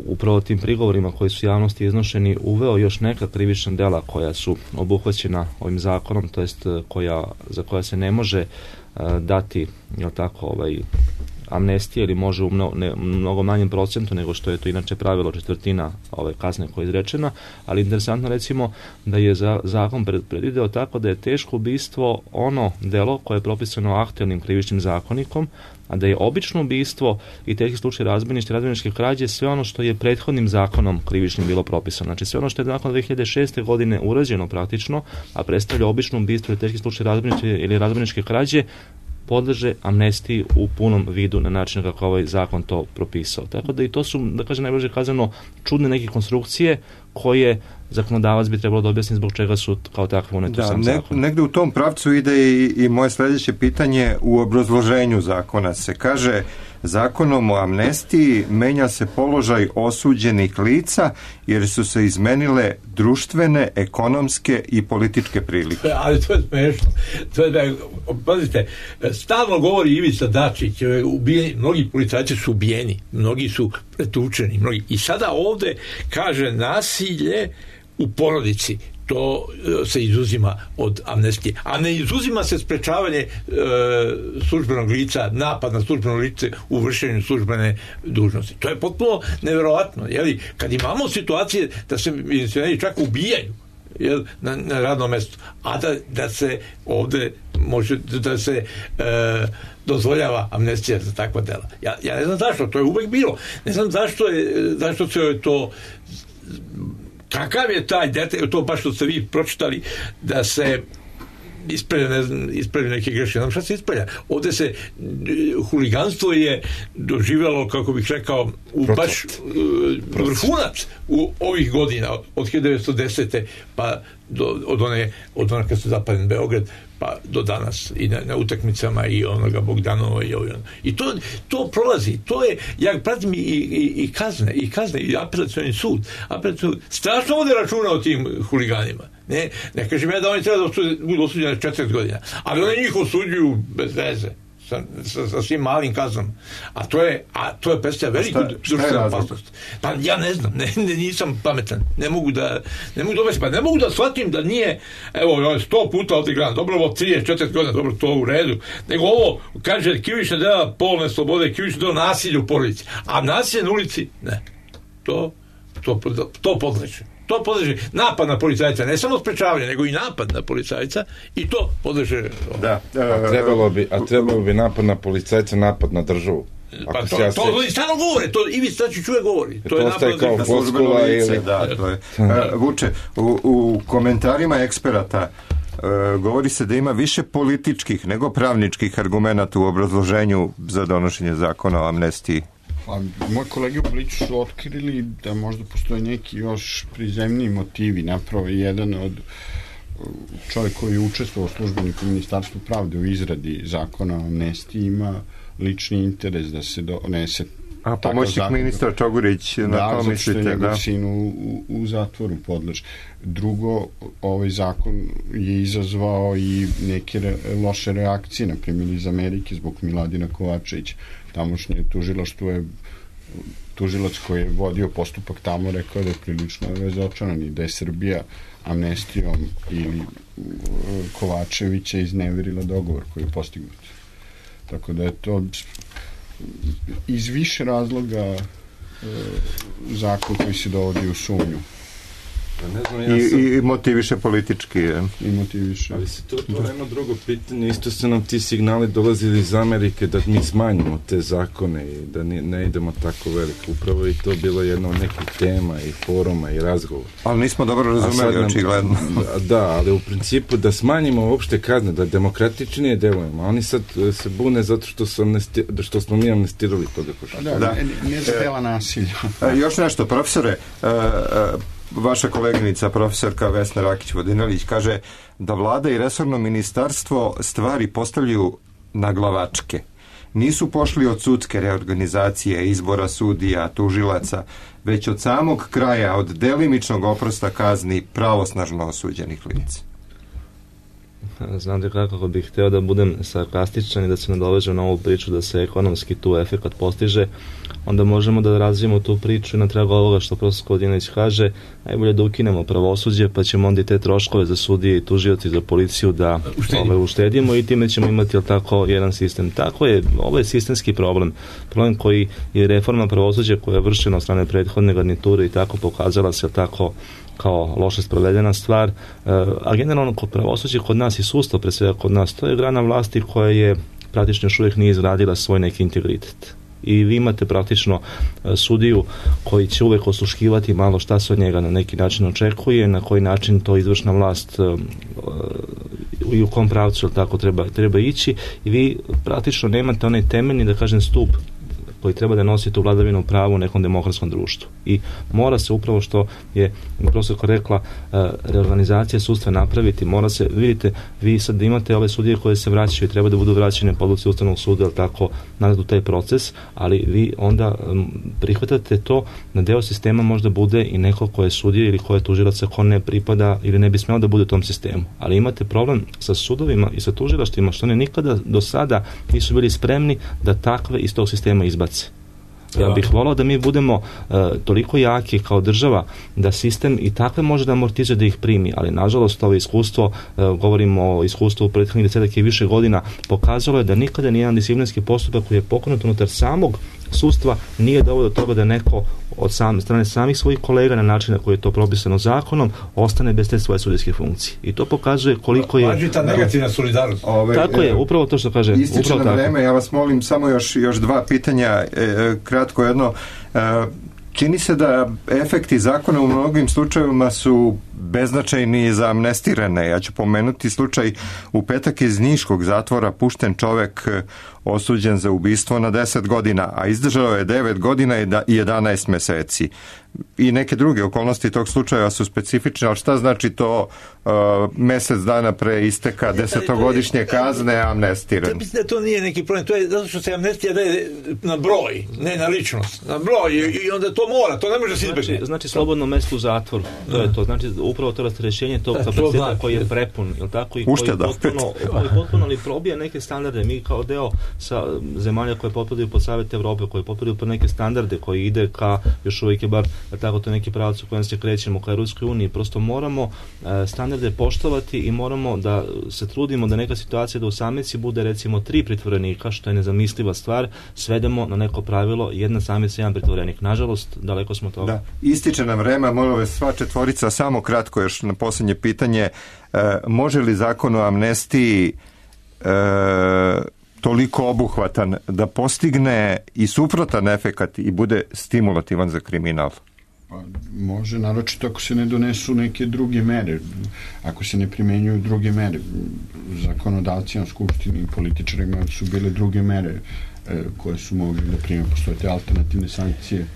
upravo tim prigovorima koji su javnosti iznošeni uveo još neka krivična dela koja su obuhvaćena ovim zakonom, to jest koja, za koja se ne može uh, dati, jel tako, ovaj, amnestije ili može u mnogo, ne, mnogo manjem procentu nego što je to inače pravilo četvrtina ove kazne koja je izrečena, ali interesantno recimo da je za, zakon pred, predvideo tako da je teško ubistvo ono delo koje je propisano aktuelnim krivičnim zakonikom, a da je obično ubistvo i teški slučaj razbojništva i razbojničke krađe sve ono što je prethodnim zakonom krivičnim bilo propisano. Znači sve ono što je nakon dve hiljade šeste. godine urađeno praktično, a predstavlja obično ubistvo i teški slučaj razbojništva ili razbojničke krađe, podleže amnestiji u punom vidu na način kako ovaj zakon to propisao. Tako da i to su, da kažem najbliže kazano, čudne neke konstrukcije koje zakonodavac bi trebalo da objasni zbog čega su kao takve unete u sam
ne,
zakon.
Negde u tom pravcu ide i, i moje sljedeće pitanje. U obrazloženju zakona se kaže: zakonom o amnestiji menja se položaj osuđenih lica jer su se izmenile društvene, ekonomske i političke prilike.
Ali to je smešno. To je da, pazite, stalno govori Ivica Dačić, ubijeni, mnogi policajci su ubijeni, mnogi su pretučeni, mnogi. I sada ovde kaže nasilje u porodici, to se izuzima od amnestije. A ne izuzima se sprečavanje e, službenog lica, napad na službeno lice u vršenju službene dužnosti. To je potpuno neverovatno. Jeli? Kad imamo situacije da se milicioneri čak ubijaju, jel, na, na radnom mestu, a da, da se ovde može, da se e, dozvoljava amnestija za takva dela. Ja, ja ne znam zašto, to je uvek bilo. Ne znam zašto je, zašto se je to kakav je taj detalj, to baš što ste vi pročitali, da se ispravlja, ne znam, ispravlja neke greške. Znam šta se ispravlja. Ovde se huliganstvo je doživjelo, kako bih rekao, u baš uh, vrhunac u ovih godina, od hiljadu devetsto desete pa do, od one, od one kad se zapadne Beograd, pa do danas i na, na utakmicama i onoga Bogdanova i ovaj. I to, to prolazi, to je, ja pratim i, i, i kazne, i kazne, i apelacioni sud, apelacioni sud, strašno vode računa o tim huliganima. Ne, ne kažem ja da oni treba da budu osuđeni četrdeset godina, ali oni njih osuđuju bez veze. Sa, sa, sa svim malim kaznama. A to je, a to je predstavlja veliku društvenu opasnost. Pa ja ne znam, ne, ne, nisam pametan. Ne mogu da, ne mogu da, pa ne mogu da shvatim da nije, evo, sto puta ovdje gledam, dobro, ovo trideset četrdeset godina, dobro, to u redu. Nego ovo, kaže, krivična dela polne slobode, krivična dela nasilja u porodici. A nasilje na ulici, ne. To, to, to podleže. To podleže napad na policajca, ne samo sprečavanje, nego i napad na policajca, i to podleže.
Da.
A trebalo bi, a trebalo bi napad na policajca, napad na državu.
Pa to, ja to, to stalno govore, to i vi znači čuje govori. To, to je napad
kao floskula ili...
Da, to je. Uh, Vuče, u, u komentarima eksperata uh, govori se da ima više političkih nego pravničkih argumenata u obrazloženju za donošenje zakona o amnestiji.
Pa, moji kolege u Bliću su otkrili da možda postoje neki još prizemniji motivi. Napravo je jedan od čovjek koji je učestvovao službenik u Ministarstvu pravde u izradi zakona o amnestiji ima lični interes da se donese.
A pomoćnik ministra Čogurić, na
da,
to mislite, da?
Da, sin u, u, u zatvoru podleže. Drugo, ovaj zakon je izazvao i neke re, loše reakcije, na primjer iz Amerike, zbog Miladina Kovačevića. Tamošnje tužilaštvo je, tužilac koji je vodio postupak tamo rekao da je prilično razočaran i da je Srbija amnestijom ili Kovačevića izneverila dogovor koji je postignut. Tako da je to iz više razloga e, zakon koji se dovodi u sumnju.
Ne znam, ja
sam... I, i motiviše politički. Je.
I motiviše.
Ali se to otvara jedno drugo pitanje. Isto su nam ti signali dolazili iz Amerike da mi smanjimo te zakone i da ne, ne idemo tako veliko. Upravo i to bilo jedno od nekih tema i foruma i razgovora.
Ali nismo dobro razumeli, očigledno.
Da, ali u principu da smanjimo uopšte kazne, da demokratičnije delujemo. Oni sad se bune zato što, su amnesti, što smo mi amnestirali toga koša.
Da, da, ne, ne zadela nasilja.
E, još nešto, profesore, e, e, vaša koleginica, profesorka Vesna Rakić-Vodinelić, kaže da vlada i resorno ministarstvo stvari postavljaju na glavačke. Nisu pošli od sudske reorganizacije, izbora sudija, tužilaca, već od samog kraja, od delimičnog oprosta kazni pravosnažno osuđenih lica.
Znate kako bih hteo da budem sarkastičan i da se nadovežem na ovu priču da se ekonomski tu efekat postiže, onda možemo da razvijemo tu priču i na tragu ovoga što profesor Kodinović kaže, najbolje da ukinemo pravosuđe, pa ćemo onda i te troškove za sudije i tužioci za policiju da ove, uštedimo i time ćemo imati, jel tako, jedan sistem. Tako je, ovo je sistemski problem. Problem koji je reforma pravosuđa koja je vršena od strane prethodne garniture i tako pokazala se, jel tako, kao loše sprovedena stvar, a generalno kod pravosuđa kod nas i sustav, pre svega kod nas, to je grana vlasti koja je praktično još uvijek nije izgradila svoj neki integritet. I vi imate praktično sudiju koji će uvek osluškivati malo šta se od njega na neki način očekuje, na koji način to izvršna vlast i u kom pravcu tako treba, treba ići, i vi praktično nemate onaj temeljni, da kažem, stup koji treba da nosi tu vladavinu prava u nekom demokratskom društvu. I mora se upravo, što je profesorka rekla, reorganizacija sudstva napraviti, mora se, vidite, vi sad imate ove sudije koje se vraćaju i treba da budu vraćene po odluci Ustavnog suda, ali tako, nazad u taj proces, ali vi onda prihvatate to na deo sistema možda bude i neko ko je sudija ili ko je tužilac, ko ne pripada ili ne bi smelo da bude u tom sistemu. Ali imate problem sa sudovima i sa tužilaštvima što oni nikada do sada nisu bili spremni da takve iz tog sistema izbace. Ja bih volao da mi budemo uh, toliko jaki kao država da sistem i takve može da amortizuje da ih primi, ali nažalost ovo iskustvo, uh, govorimo o iskustvu u prethodnih desetak i više godina, pokazalo je da nikada nijedan disciplinski postupak koji je pokrenut unutar samog sudstva nije doveo do toga da neko od sam, strane samih svojih kolega na način na koji je to propisano zakonom ostane bez te svoje sudijske funkcije. I to pokazuje koliko je...
Važi ta negativna solidarnost.
Ove,
tako je, upravo to što kaže.
Ističe nam vreme, ja vas molim samo još, još dva pitanja, e, kratko jedno. E, čini se da efekti zakona u mnogim slučajevima su beznačajni za amnestirane. Ja ću pomenuti slučaj u petak iz Niškog zatvora, pušten čovek osuđen za ubistvo na deset godina, a izdržao je devet godina i jedanaest meseci. I neke druge okolnosti tog slučaja su specifične, ali šta znači to uh, mesec dana pre isteka desetogodišnje kazne amnestiran?
Mislim da to nije neki problem, to je zato što se amnestija daje na broj, ne na ličnost, na broj, i onda to mora, to ne može se izbjeći.
Znači, znači slobodno mesto u zatvoru, to je to, znači upravo to rasterećenje tog kapaciteta koji je prepun, jel tako, i koji potpuno, koji potpuno li probija neke standarde. Mi kao deo sa zemalja koje potpadaju pod Savet Evrope, koje potpadaju pod neke standarde, koji ide ka, još uvijek je bar tako to neki pravac u kojem se krećemo ka Ruskoj uniji, prosto moramo e, standarde poštovati i moramo da se trudimo da neka situacija da u samici bude recimo tri pritvorenika, što je nezamisliva stvar, svedemo na neko pravilo jedna samica, jedan pritvorenik. Nažalost, daleko smo toga.
Da. Ističe nam vreme, molim vas sva četvorica, samo kratko još na posljednje pitanje, e, može li zakon o amnestiji e, toliko obuhvatan da postigne i suprotan efekat i bude stimulativan za kriminal?
Pa, može, naročito ako se ne donesu neke druge mere, ako se ne primenjuju druge mere. Zakonodavci na skupštini i političarima su bile druge mere e, koje su mogli da prime, postoje te alternativne sankcije.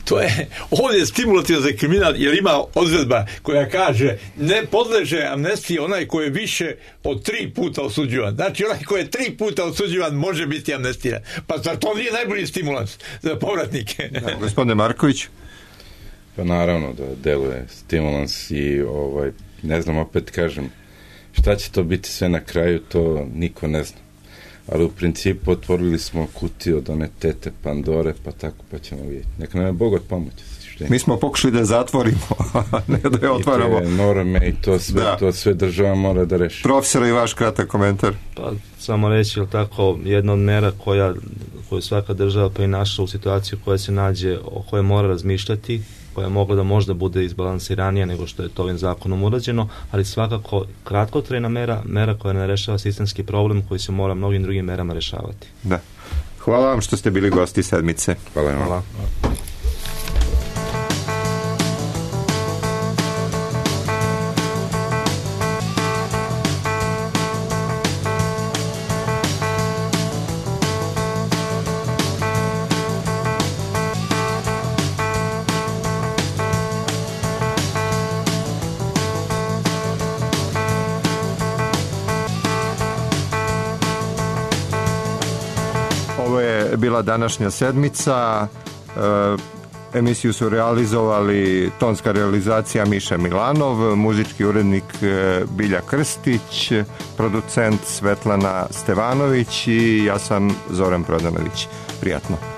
To je, ovdje je stimulativno za kriminal, jer ima odredba koja kaže ne podleže amnestiji onaj koji je više od tri puta osuđivan. Znači onaj koji je tri puta osuđivan može biti amnestiran. Pa zar to nije najbolji stimulans za povratnike?
Da, gospodine Marković?
Pa naravno da deluje stimulans i ovaj, ne znam, opet kažem, šta će to biti sve na kraju, to niko ne zna. Ali u principu otvorili smo kutiju od one tete Pandore, pa tako, pa ćemo vidjeti. Neka nam je Bog od pomoći.
Mi smo pokušali da zatvorimo, ne da je otvaramo.
I te norme i to sve, da. to sve država mora da reši.
Profesor, i vaš kratak komentar.
Pa samo reći, jel tako, jedna od mera koja, koju svaka država pa i naša u situaciju koja se nađe, o kojoj mora razmišljati, koja je mogla da možda bude izbalansiranija nego što je to ovim zakonom urađeno, ali svakako kratkotrajna mera, mera koja ne rešava sistemski problem koji se mora mnogim drugim merama rešavati.
Da. Hvala vam što ste bili gosti sedmice.
Hvala vam.
Hvala.
Bila današnja sedmica. E, emisiju su realizovali tonska realizacija Miša Milanov, muzički urednik Bilja Krstić, producent Svetlana Stevanović i ja sam Zoran Prodanović. Prijatno.